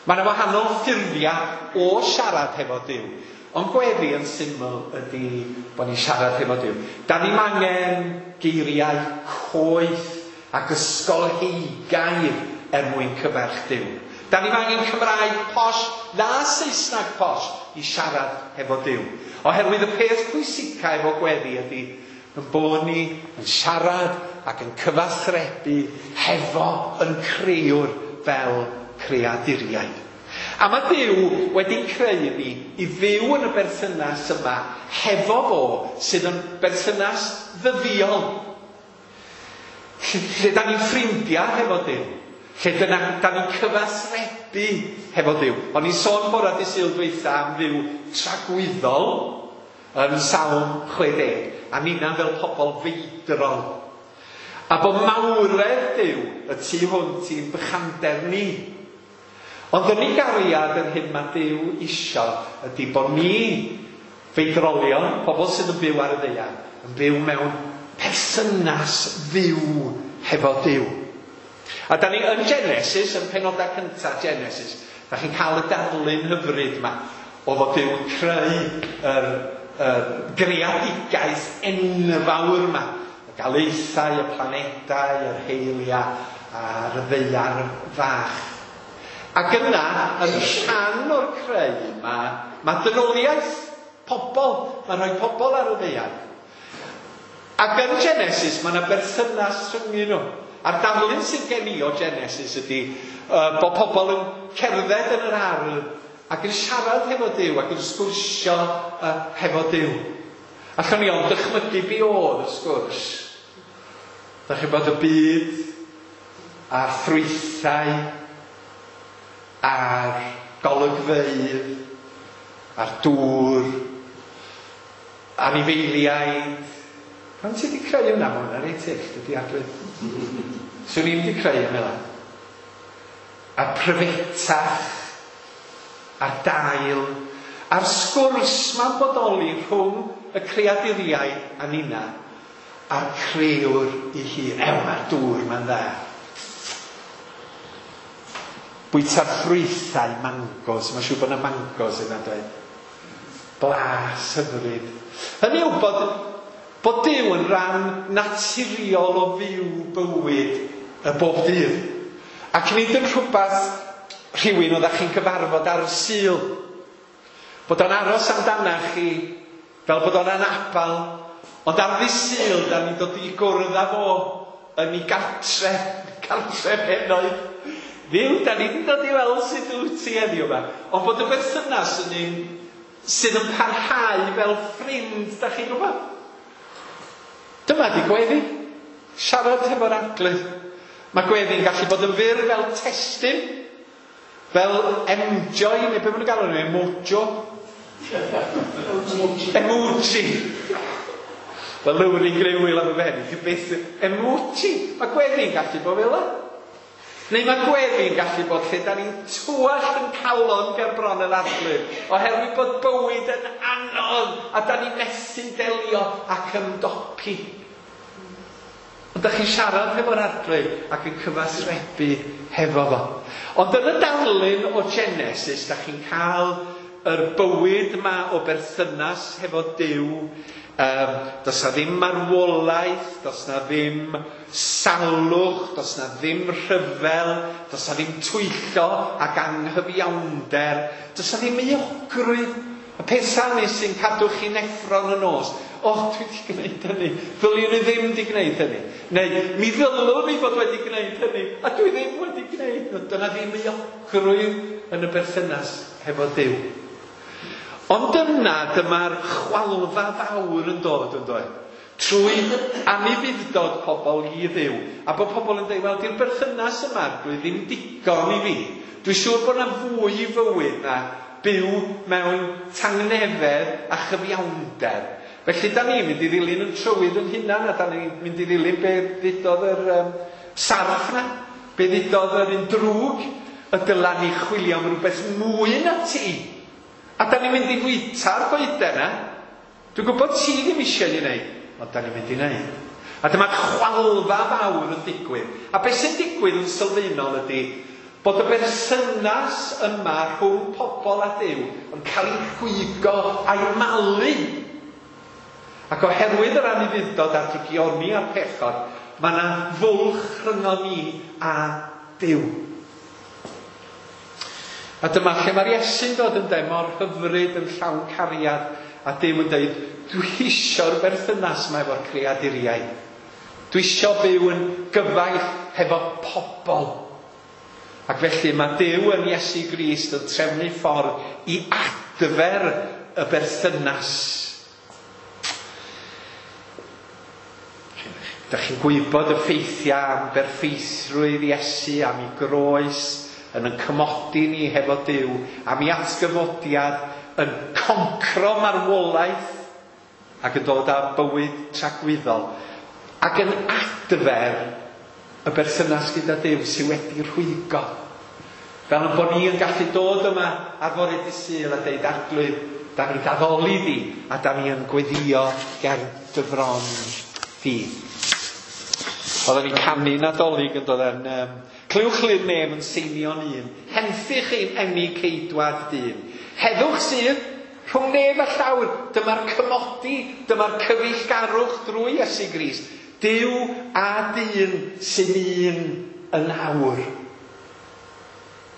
Mae yna wahanol ffurfiau o siarad hefo Duw. Ond gweddi yn syml ydy bod ni'n siarad hefo Duw. Da ni'm angen geiriau coeth ac ysgolheigaidd er mwyn cyferch Duw. Da ni'm angen Cymraeg posh na Saesneg posh i siarad hefo Duw. Oherwydd y peth pwysica efo gweddi ydy yn bod ni yn siarad ac yn cyfathrebu hefo yn crëwr fel creaduriaid. A mae Duw wedi creu ni i fyw yn y berthynas yma hefo fo sydd yn berthynas ddyddiol. Lle, lle da ni'n ffrindiau hefo Duw. Lle dyna, da ni'n cyfathrebu hefo Duw. O'n i'n sôn bora dydd Sul dwytha am fyw tragwyddol yn Salm chwe deg, a ninna fel pobl feidrol. A bod mawredd Duw y tu hwnt i'n bychander ni. Ond yn ei gariad yr hyn mae Duw isio ydy bod ni feidrolion, pobl sydd yn byw ar y ddaear, yn byw mewn perthynas fyw hefo Duw. A da ni yn Genesis, yn penodau cyntaf Genesis, da chi'n cael y darlun hyfryd yma o fod Duw yn creu yr, yr greadigaeth enfawr yma. Y galaethau, y planedau, yr heiliau a'r ddaear fach. Ac yna, yn rhan o'r creu yma, mae dynoliaeth, pobl, mae'n rhoi pobl ar y ddaear. Ac yn Genesis, mae yna berthynas rhyngyn nhw. A'r darlun sydd gen i o Genesis ydy uh, bod pobl yn cerdded yn yr ardd ac yn siarad hefo Duw ac yn sgwrsio uh, hefo Duw. Allwn ni ond dychmygu be oedd y sgwrs. Da chi'n bod y byd a'r ffrwythau a'r golygfeydd a'r dŵr anifeiliaid. Pan ti wedi creu hwnna, mae hwnna'n reit hyll, dydy Arglwydd. Swn i'n wedi creu hwnna. A'r pryfetach, a'r dail, a'r sgwrs ma'n bodoli rhwng y creaduriaid a nina, a'r crëwr ei hun. Ew, mae'r dŵr ma'n dda. Bwyta'r ffrwythau mangos, mae'n siŵr bod yna mangos yna, dweud. Blas hyfryd. Hynny yw bod, bod Duw yn rhan naturiol o fyw bywyd y bob dydd. Ac nid yn rhywbeth rhywun oeddech chi'n cyfarfod ar y Sul. Bod o'n aros amdanach chi fel bod o'n anabal. Ond ar ddydd Sul, da ni'n dod i gwrdd â fo yn ei gartre, cartre henoed. Dduw, da ni wedi dod i weld sut wyt ti heddiw yma. Ond bod y berthynas yn un sydd yn parhau fel ffrind, da chi'n gwybod? Dyma di gweddi. Siarad hefo'r Arglwydd. Mae gweddi'n gallu bod yn fyr fel testun, fel enjoy, neu be maen nhw'n galw nhw, emojo. Emoji. Wel, Lowry Grewil am y fen, byth emoji. Mae gweddi'n gallu bod fel yna. Neu mae gweddi'n gallu bod lle da ni'n tywallt yn calon ger bron yr Arglwydd, oherwydd bod bywyd yn anodd a da ni'n methu delio ac ymdopi. Ond da chi'n siarad hefo'r Arglwydd ac yn cyfathrebu hefo fo. Ond yn y darlun o Genesis, da chi'n cael yr bywyd yma o berthynas hefo Duw. Um, does na ddim marwolaeth, does na ddim salwch, does na ddim rhyfel, does na ddim twyllo ac anghyfiawnder, does na ddim euogrwydd. Y pethau ni sy'n cadw chi'n effro'n y nos. O, oh, dwi wedi gwneud hynny. Ddylwn i ddim wedi gwneud hynny. Neu, mi ddylwn i fod wedi gwneud hynny, a dwi ddim wedi gwneud. Dyna ddim euogrwydd yn y berthynas hefo Duw. Ond yna, dyma'r chwalfa fawr yn dod yn dod. Trwy anufudd-dod pobl i Dduw. A bod pobl yn dweud, wel, di'r berthynas yma, dwi ddim digon i fi. Dwi'n siŵr bod yna fwy i fywyd na byw mewn tangnefedd a chyfiawnder. Felly, da ni'n mynd i ddilyn yn trywydd yn hunan, a da ni'n mynd i ddilyn be ddudodd yr um, sarff na, be ddudodd yr un drwg, y dyla ni chwilio am rhywbeth mwy na ti. A da ni'n mynd i fwyta'r goeden na. Dwi'n gwybod ti ddim eisiau ni wneud, ond da ni'n mynd i wneud. A dyma chwalfa fawr yn digwydd. A beth sy'n digwydd yn sylfaenol ydy bod y berthynas yma rhwng pobl a Duw yn cael ei rhwygo a'i malu. Ac oherwydd yr anufudd-dod a'r drygioni a'r pechod, mae yna fwlch rhyngon ni a Duw. A dyma lle mae'r Iesu'n dod yn dweud mor hyfryd yn llawn cariad, a Duw yn dweud, dwi eisiau'r berthynas yma efo'r creaduriaid. Dwi eisiau byw yn gyfaill hefo pobl. Ac felly mae Duw yn Iesu Grist yn trefnu ffordd i adfer y berthynas. Da chi'n gwybod y ffeithiau am berffeithrwydd Iesu, am ei groes, yn yn cymodi ni hefo Duw, am ei atgyfodiad, yn concro marwolaeth ac yn dod â bywyd tragwyddol, ac yn adfer y berthynas gyda Duw sydd wedi rhwygo. Fel yn bod ni yn gallu dod yma ar fore dydd Sul a deud, Arglwydd, da ni'n addoli di, a da ni yn gweddio ger dy fron di. Oedden ni'n canu Nadolig yn dod yn... Um, Clywch lŷn nef yn seinio'n un, henffych ein eni ceidwad dyn. Heddwch sydd rhwng nef a llawr, dyma'r cymodi, dyma'r cyfeillgarwch drwy Iesu Grist. Duw a dyn sy'n un yn awr.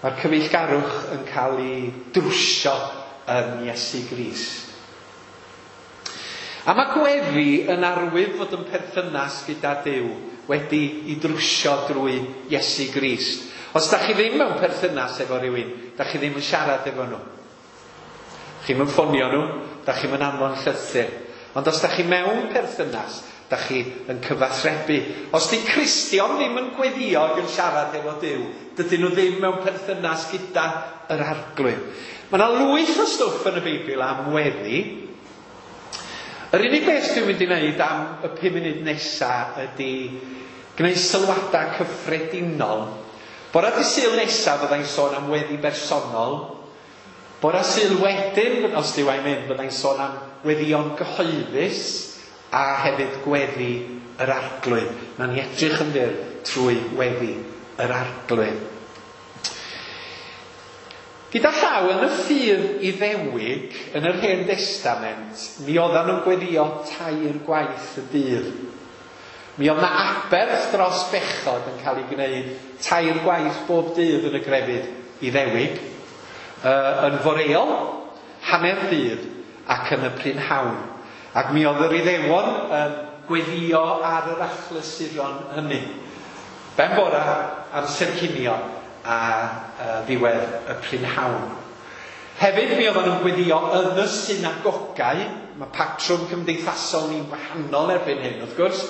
Mae'r cyfeillgarwch yn cael ei drwsio yn Iesu Grist. A mae gweddi yn arwydd fod yn perthynas gyda Duw wedi i drwsio drwy Iesu Grist. Os da chi ddim mewn perthynas efo rhywun, da chi ddim yn siarad efo nhw. Chi'm yn ffonio nhw, da chi'm yn anfon llythyr. Ond os da chi mewn perthynas, da chi yn cyfathrebu. Os di Cristion ddim yn gweddio ac yn siarad efo Duw, dydyn nhw ddim mewn perthynas gyda yr Arglwydd. Mae yna lwyth o stwff yn y Beibl am weddi. Yr unig beth dwi'n mynd i wneud am y pum munud nesaf ydy gwneud sylwadau cyffredinol. Bora dydd Sul nesaf fyddai'n sôn am weddi bersonol. Bora Sul wedyn, os Duw a'i mynd, fyddai'n sôn am weddïon gyhoeddus a hefyd gweddi yr Arglwydd. Nawn ni edrych yn fyr trwy weddi yr Arglwydd. Gyda llaw, yn y ffydd Iddewig, yn yr Hen Destament, mi oeddan nhw'n gweddio tair gwaith y dydd. Mi oedd 'na aberth dros bechod yn cael ei gwneud tair gwaith bob dydd yn y grefydd Iddewig, uh, yn foreol, hanner dydd ac yn y prynhawn. Ac mi oedd yr Iddewon yn gweddio ar yr achlysuron hynny. Ben bora, amser cinio, a uh, ddiwedd y prynhawn. Hefyd mi oedden nhw'n gweddio yn y synagogau. Mae patrwm cymdeithasol ni'n wahanol erbyn hyn, wrth gwrs.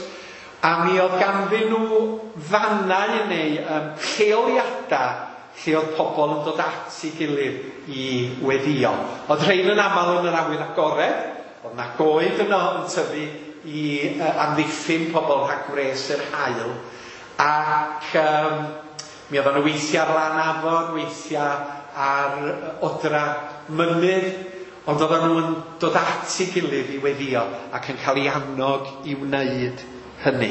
A mi oedd ganddyn nhw fannau neu um, lleoliadau lle oedd pobl yn dod at ei gilydd i weddio. Oedd rhain yn aml yn yr awyr agored, oedd na goed yno yn tyfu i uh, amddiffyn pobl rhag gwres yr haul, ac um, mi oedden nhw weithiau ar lan afon, weithiau ar odra mynydd, ond oedden nhw'n dod at ei gilydd i weddio ac yn cael ei annog i wneud hynny.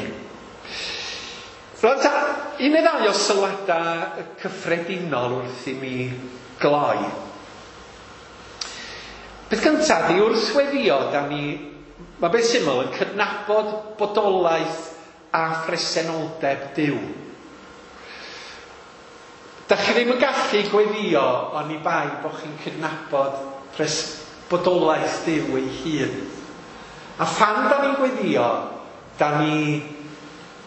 Rwan ta, un neu ddau o sylwadau cyffredinol wrth i mi gloi. Beth gyntaf, di wrth weddio, da ni, mae beth syml yn cydnabod bodolaeth a phresenoldeb Duw. Da chi ddim yn gallu gweddio oni bai bod chi'n cydnabod pres bodolaeth Duw ei hun. A phan da ni'n gweddio, da ni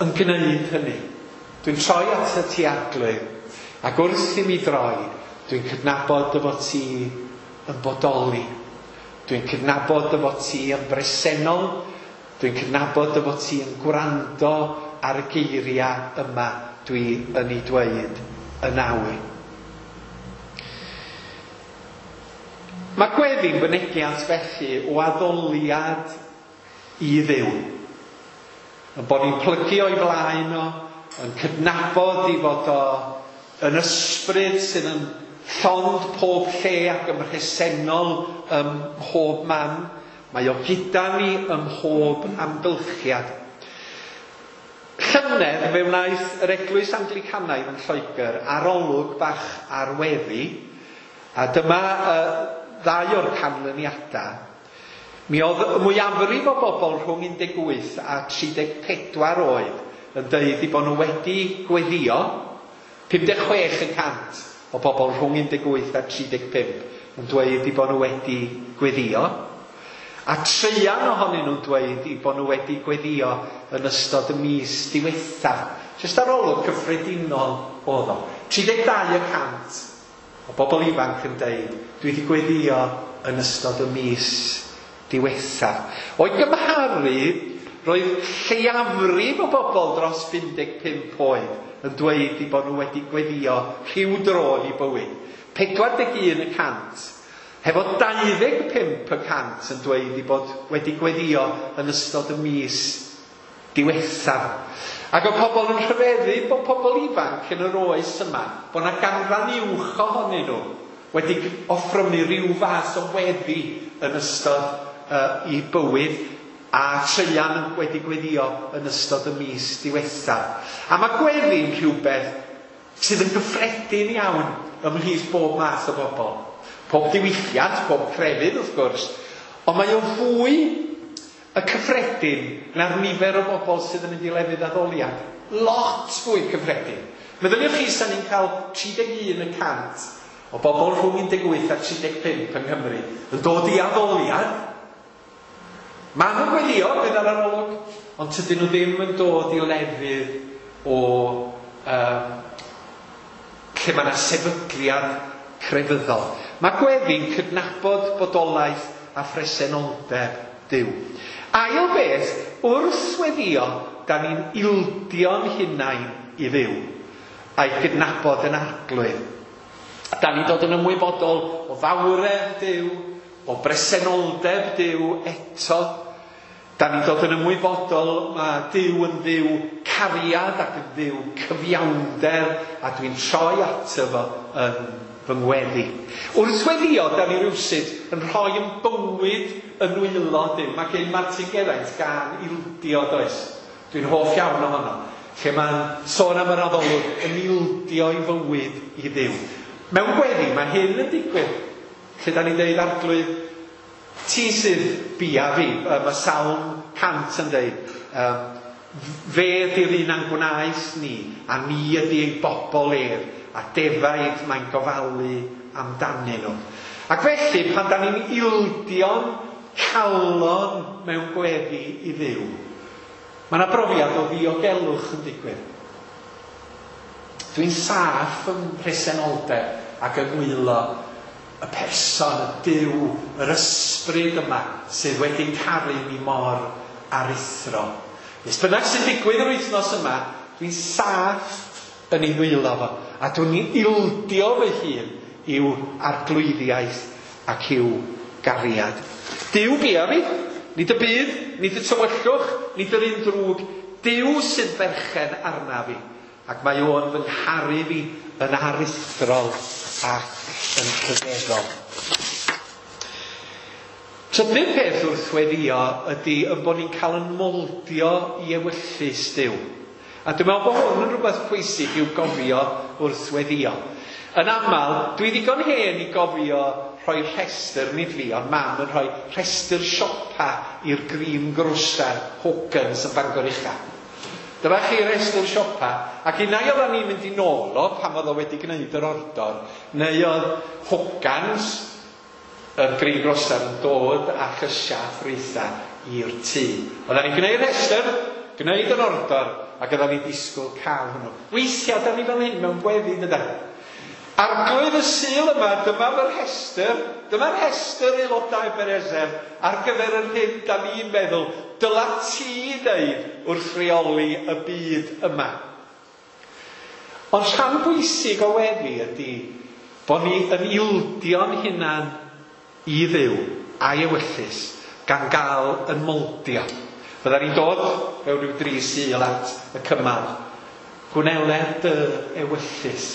yn gwneud hynny. Dwi'n troi at y ti Arglwydd, ac wrth i mi droi, dwi'n cydnabod dy fod ti yn bodoli. Dwi'n cydnabod dy fod ti yn bresennol. Dwi'n cydnabod dy fod ti yn gwrando ar y geiriau yma dwi yn ei dweud yn awr. Mae gweddi'n fynegiant felly o addoliad i Dduw. Yn bod ni'n plygu o'i flaen o, yn cydnabod i fod o yn ysbryd sydd yn llond pob lle ac yn bresennol ym mhob man. Mae o gyda ni ym mhob amgylchiad. Llynedd fe wnaeth yr Eglwys Anglicanaidd yn Lloegr arolwg bach ar weddi, a dyma uh, ddau o'r canlyniadau. Mi oedd y mwyafrif o bobl rhwng un deg wyth a tri deg pedwar oed yn dweud eu bod nhw wedi gweddio. Pum deg chwech y cant o bobl rhwng un deg wyth a tri deg pump yn dweud eu bod nhw wedi gweddio. A traean ohonyn nhw'n dweud eu bod nhw wedi gweddio yn ystod y mis diwethaf. Jyst arolwg cyffredinol oedd o. Tri deg dau y cant o bobl ifanc yn dweud dwi wedi gweddio yn ystod y mis diwethaf. O'i gymharu, roedd lleiafrif o bobl dros bum deg pump oed yn dweud eu bod nhw wedi gweddio rhyw dro yn eu bywyd. pedwar deg un y cant, hefo dau ddeg pump y cant yn dweud eu bod wedi gweddio yn ystod y mis diwethaf. Ac oedd pobl yn rhyfeddu bod pobl ifanc yn yr oes yma, bod yna ganran uwch ohonyn nhw wedi offrymu rhyw fath o weddi yn ystod uh, eu bywyd, a traean wedi gweddio yn ystod y mis diwethaf. A mae gweddi'n rhywbeth sydd yn gyffredin iawn ymhlith bob math o bobl. Pob diwylliant, pob crefydd wrth gwrs, ond mae o fwy y cyffredin na'r nifer o bobl sydd yn mynd i lefydd addoliad. Lot fwy cyffredin. Meddyliwch chi sa'n ni'n cael tri deg un y cant o bobl rhwng un deg wyth a tri deg pump yng Nghymru yn dod i addoliad. Maen nhw'n gweddio bydd ar arolwg, ond tydyn nhw ddim yn dod i lefydd o um, lle mae yna sefydliad crefyddol. Mae gweddi'n cydnabod bodolaeth a phresenoldeb Duw. Ail beth, wrth weddio, da ni'n ildio'n hunain i Dduw a'i gydnabod yn arglwydd. Da ni'n dod yn ymwybodol o fawredd Duw, o bresenoldeb Duw eto. Da ni'n dod yn ymwybodol mae Duw yn Dduw cariad ac yn Dduw cyfiawnder, a dwi'n troi ato fo yn fy ngweddi. Wrth weddio, da ni rywsut yn rhoi yn bywyd yn nwylo Duw. Mae gen Martin Geraint gan ildio, does? Dwi'n hoff iawn ohono. Lle mae'n sôn am yr addolwg yn ildio i fywyd i Dduw. Mewn gweddi, mae hyn yn digwydd. Lle da ni'n deud, Arglwydd, ti sydd bia fi. Mae Salm cant yn deud, um, fe ydy'r un a'n gwnaeth ni, a ni ydy ei bobl ef, a defaid mae'n gofalu amdanyn nhw. Ac felly, pan da ni'n ildio'n calon mewn gweddi i Dduw, mae yna brofiad o ddiogelwch yn digwydd. Dwi'n saff ym mhresenoldeb ac yn nwylo y person, y Duw, yr ysbryd yma sydd wedi caru mi mor aruthrol. Beth bynnag sy'n digwydd yr wythnos yma, dwi'n saff yn ei ddwylo fo, a dwi'n ildio fy hun i'w arglwyddiaeth ac i'w gariad. Duw bia fi, nid y byd, nid y tywyllwch, nid yr un drwg. Duw sydd berchen arna fi, ac mae o'n fy ngharu fi yn aruthrol ac yn rhyfeddol. Trydydd peth wrth weddio ydy yn bod ni'n cael yn moldio i ewyllys Duw. A dwi'n meddwl bod hwn yn rhywbeth pwysig i'w gofio wrth weddio. Yn aml, dwi ddigon hen i gofio rhoi rhestr, nid fi, ond mam yn rhoi rhestr siopa i'r Green Grocer Hawkins yn Bangor Ucha. Dyma chi rhestr siopa, ac unai oedden ni'n mynd i nôl o pan oedd o wedi gwneud yr ordor, neu oedd Hawkins, yr Green Grocer, yn dod â llysiau a ffrwythau i'r tŷ. Oedden ni'n gwneud rhestr, gwneud yr ordor, ac oedden ni'n disgwyl cael hwnnw. Weithiau, da ni fel hyn mewn gweddi, dydan? Arglwydd y Sul yma, dyma fy rhestr, dyma'r rhestr aelodau Ebenezer ar gyfer yr hyn da ni'n meddwl dyla ti ddeud wrth reoli y byd yma. Ond rhan bwysig o weddi ydy bod ni yn ildio'n hunan i Dduw a'i ewyllys gan gael yn moldio. Fydda ni'n dod mewn rhyw dri Sul at y cymal. Gwneler dy ewyllys.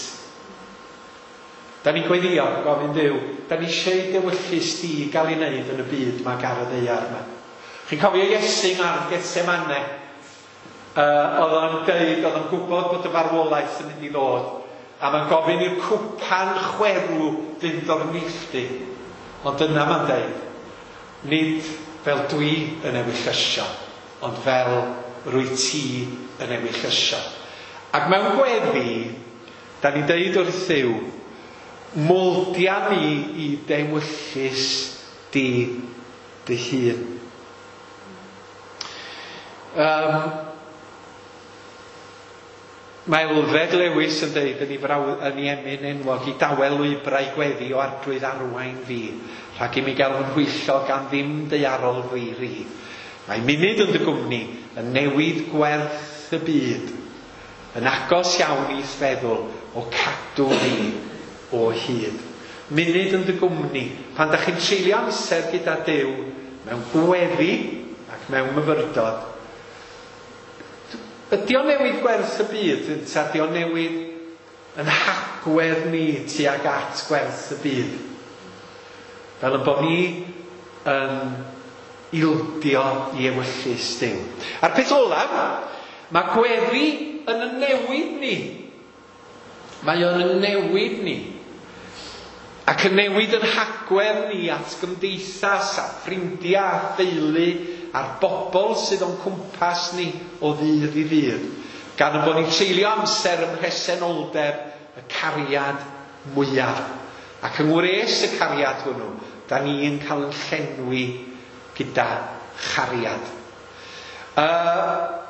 Da ni'n gweddio, gofyn Duw, da ni eisiau i dewyllys di gael ei wneud yn y byd mae ar y ddaear yma. Chi'n cofio Iesu yng Ngardd Gethsemane? Uh, oedd o'n deud, oedd o'n gwybod bod y farwolaeth yn mynd i ddod, a mae'n gofyn i'r cwpan chwerw fynd o'r neilltu. Ond dyna mae'n deud, nid fel dwi yn ewyllysio, ond fel rwy ti yn ewyllysio. Ac mewn gweddi, da ni'n deud wrth Dduw, moldia mi i dewyllys di dy hun. Um, mae Elfed Lewis yn deud yn ei, fraw, yn ei emyn enwog, i dawel lwybrau gweddi o arglwydd arwain fi, rhag i mi gael fy nhwyllo gan ddim daearol fi ri. Mae munud yn dy gwmni yn newid gwerth y byd, yn agos iawn i'th feddwl o cadw fi o hyd. Munud yn dy gwmni, pan da chi'n treulio amser gyda Duw mewn gweddi ac mewn myfyrdod, ydy o'n newid gwerth y byd, ynta ydy o'n newid yn hagwedd ni tuag at gwerth y byd? Fel yn bod ni yn ildio i ewyllys Duw. A'r peth olaf, mae gweddi yn y newid ni. Mae o'n yn newid ni. Ac yn newid yn hagwedd ni at gymdeithas a ffrindiau a theulu a'r bobl sydd o'n cwmpas ni o ddydd i ddydd. Gan y bod ni'n treulio amser ym mhresenoldeb y cariad mwyaf. Ac yng ngwres y cariad hwnnw, da ni'n cael yn llenwi gyda chariad. Uh,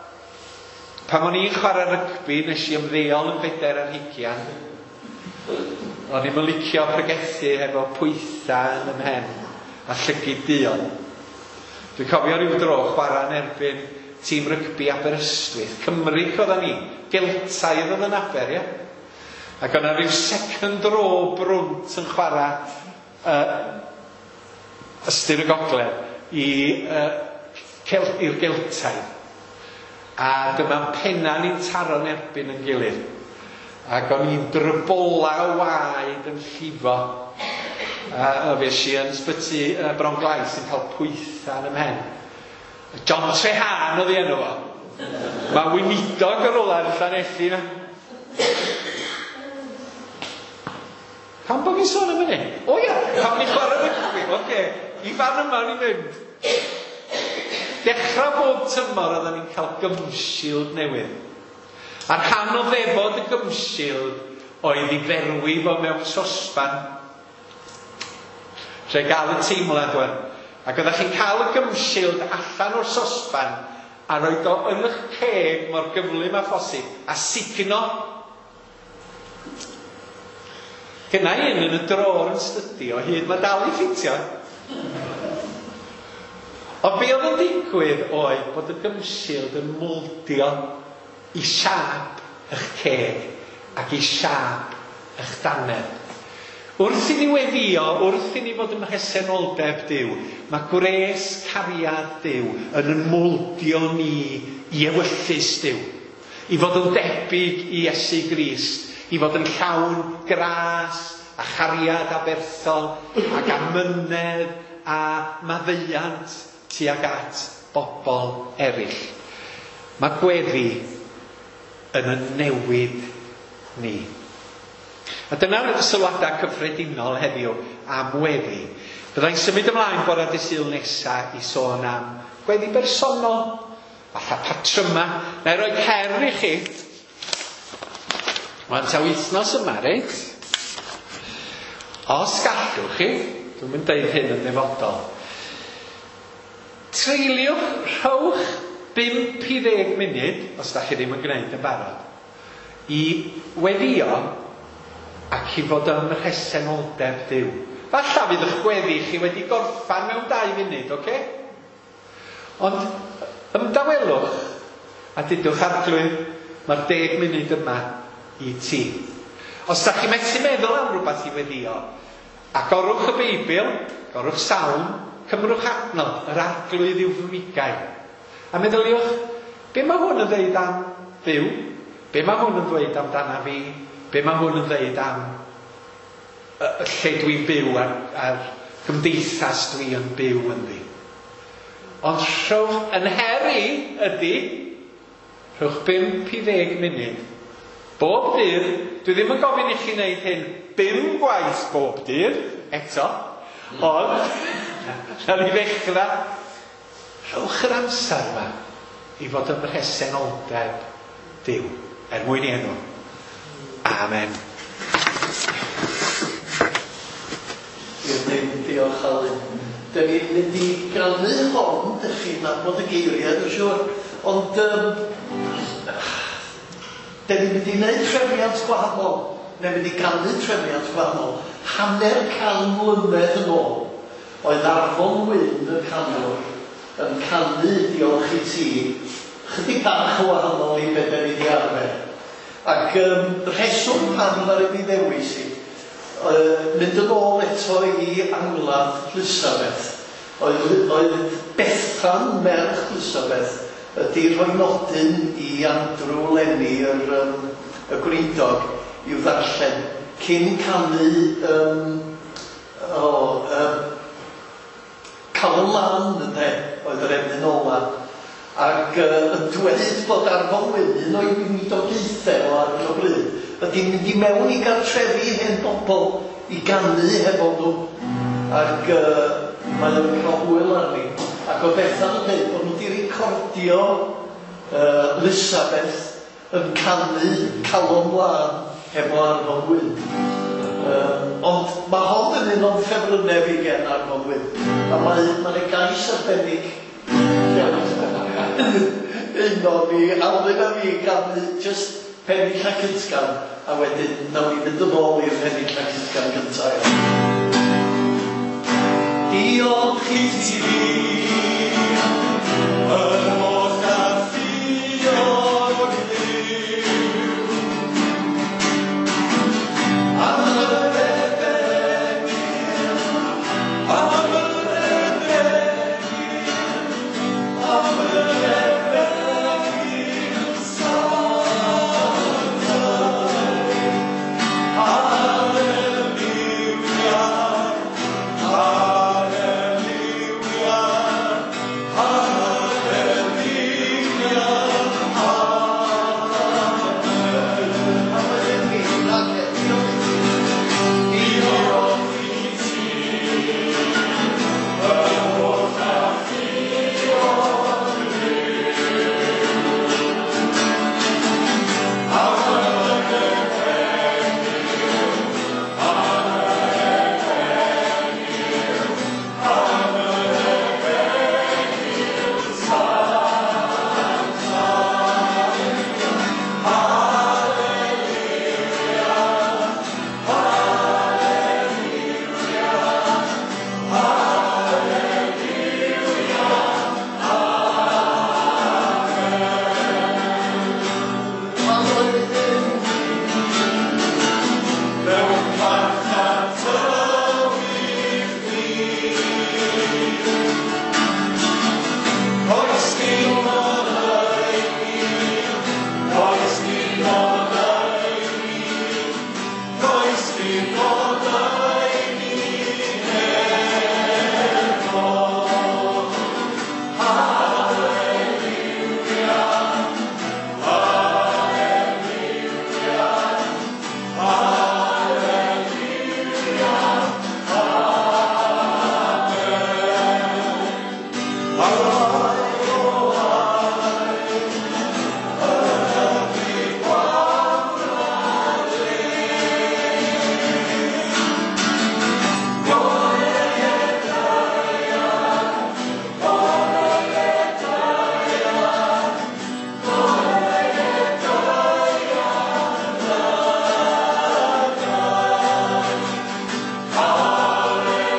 pan o'n i'n chwarae rygbi, nes i ymddeol yn bedair ar hugian. O'n i'm yn licio pregethu efo pwytha yn 'y mhen a llygid duon. Dwi'n cofio rhyw dro chwarae yn erbyn tîm rygbi Aberystwyth. Cymric oeddan ni, Geltaidd oedd yn Aber, ie? Ac o'na rhyw second row brwnt yn chwarae uh, ystyr y gogledd i, uh, i'r Geltaidd. A dyma'n penna ni'n taro'n erbyn yn gilydd. Ac o'n i'n drybola o waed yn llifo. A, a fues i yn ysbyty uh, Bronglais yn cael pwytha yn 'y mhen. John Trehan oedd ei enw fo. Mae weinidog ar ôl yn Llanelli na. Pam bod fi'n sôn am hynny? O ia, pam ni'n chwarae rygbi? Oce, i fan yma ni'n mynd. Dechrau bob tymor oedden ni'n cael gumshield newydd. A rhan o ddefod y gumshield oedd i ferwi fo mewn sosban. Lle gael y teimlad wan. Ac oeddech chi'n cael y gumshield allan o'r sosban a roed o yn eich ceg mor gyflym â phosib a sugno. Gynna i un yn y drôr yn stydi o hyd, mae dal i ffitio. Ond be oedd yn digwydd oedd bod y gumshield yn mowldio i siâp eich ceg ac i siâp eich dannedd. Wrth i ni weddio, wrth i ni fod ym mhresenoldeb Duw, mae gwres cariad Duw yn yn mowldio ni i ewyllys Duw, i fod yn debyg i Iesu Grist, i fod yn llawn gras a chariad aberthol ac amynedd a maddeuant tuag at bobl eraill. Mae gweddi yn y newid ni. A dyna'r sylwadau cyffredinol heddiw am weddi. Byddai'n symud ymlaen bore dydd Sul nesaf i sôn am gweddi bersonol, fatha patryma. Na i roi her i chi. Wan ta wythnos yma, reit? Os gallwch chi, dwi'n mynd deud hyn yn ddefodol, treuliwch, rhowch bump i ddeg munud, os da chi ddim yn gwneud yn barod, i weddio ac i fod ym mhresenoldeb Duw. Falla fydd eich gweddi chi wedi gorffan mewn dau munud, oce? Ond ymdawelwch a dudwch, Arglwydd, mae'r deg munud yma i ti. Os da chi methu meddwl am rhywbeth i weddio, agorwch y Beibl, agorwch Salm, cymrwch adnod, yr Arglwydd yw fy migail. A meddyliwch, be mae hwn yn dweud am Dduw? Be mae hwn yn dweud amdana fi? Be mae hwn yn dweud am y lle dwi'n byw a'r, a'r gymdeithas dwi yn byw ynddi? Ond rhowch yn her i ydy, rhowch bump i ddeg munud. Bob dydd, dwi ddim yn gofyn i chi wneud hyn bum gwaith bob dydd, eto, ond, nawn ni ddechrau, rhowch yr amser yma i fod ym mhresenoldeb Duw, er mwyn i enw. Amen. Diolch Alun. Dyn ni'n mynd i ganu hon, dych chi'n nabod y geiriau, dwi'n siŵr, ond um, dyn ni'n mynd i wneud trefniant gwahanol, neu'n mynd i ganu trefniant gwahanol. Hanner can mlynedd yn ôl, oedd Arfon Wyn y canwr yn canu diolch i ti, chydig bach o wahanol i be dan ni 'di arfer. Ac um, rheswm pam ddaru fi ddewis i, uh, mynd yn ôl eto i angladd Lisabeth, oedd, oedd Bethan merch Lisabeth ydy rhoi nodyn i Andrew Lenny, yr, um, y gweinidog, i'w ddarllen cyn canu um, o, um, Calon Lân, ynde, oedd yr emyn ola. Ac uh, yn dweud bod Arfon Wyn, un o'i weinidogaethau o ar hyn o bryd, ydy'n mynd i mewn i gartrefi hen bobl i ganu hefo nhw. Ac uh, mae o'n cael hwyl arni. Ac o Bethan yn dweud bod nhw wedi recordio uh, Lisabeth yn canu Calon Lân hefo Arfon Wyn. Uh, ond mae hon yn un o'n ffefrynnau fi gen Arfon Wyn. A mae, mae'n gais arbennig un o'n ni, Alun a fi ganu just pennill a cytgan, a wedyn nawn ni fynd yn ôl i'r pennill a cytgan gyntaf. Diolch i ti, yr holl alluog Dduw, am yr efengyl, am yr efengyl, am yr efengyl sanctaidd. Hallelujah, hallelujah, hallelujah, amen. Diolch i ti, yr holl alluog Dduw, am yr efengyl, am yr efengyl, am yr efengyl sanctaidd. Hallelujah, hallelujah, hallelujah, amen. Mewn marchnad tywyll ddu, oes dim oleuni, oes dim oleuni, oes dim oleuni heno. Hallelujah, hallelujah, hallelujah, amen. Aye, o aye, ychydig wawrade. Golau daear, golau daear, golau daear lygaid. Hallelujah, hallelujah,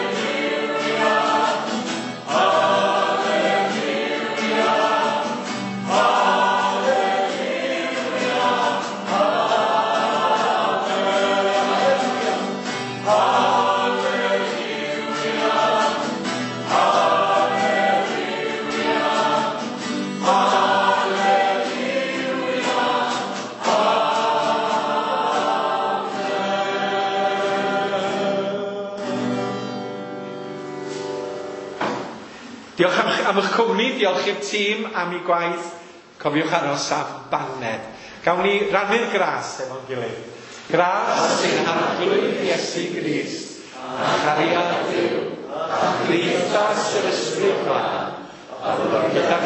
hallelujah, amen. Hallelujah, hallelujah, hallelujah, amen. Diolch am, am eich cwmni, diolch i'r tîm am ei gwaith. Cofiwch aros am baned. Gawn ni rannu'r gras efo'n gilydd. Gras ein Harglwydd Iesu Grist, a chariad Duw, a chymdeithas yr Ysbryd Glân, a fod gyda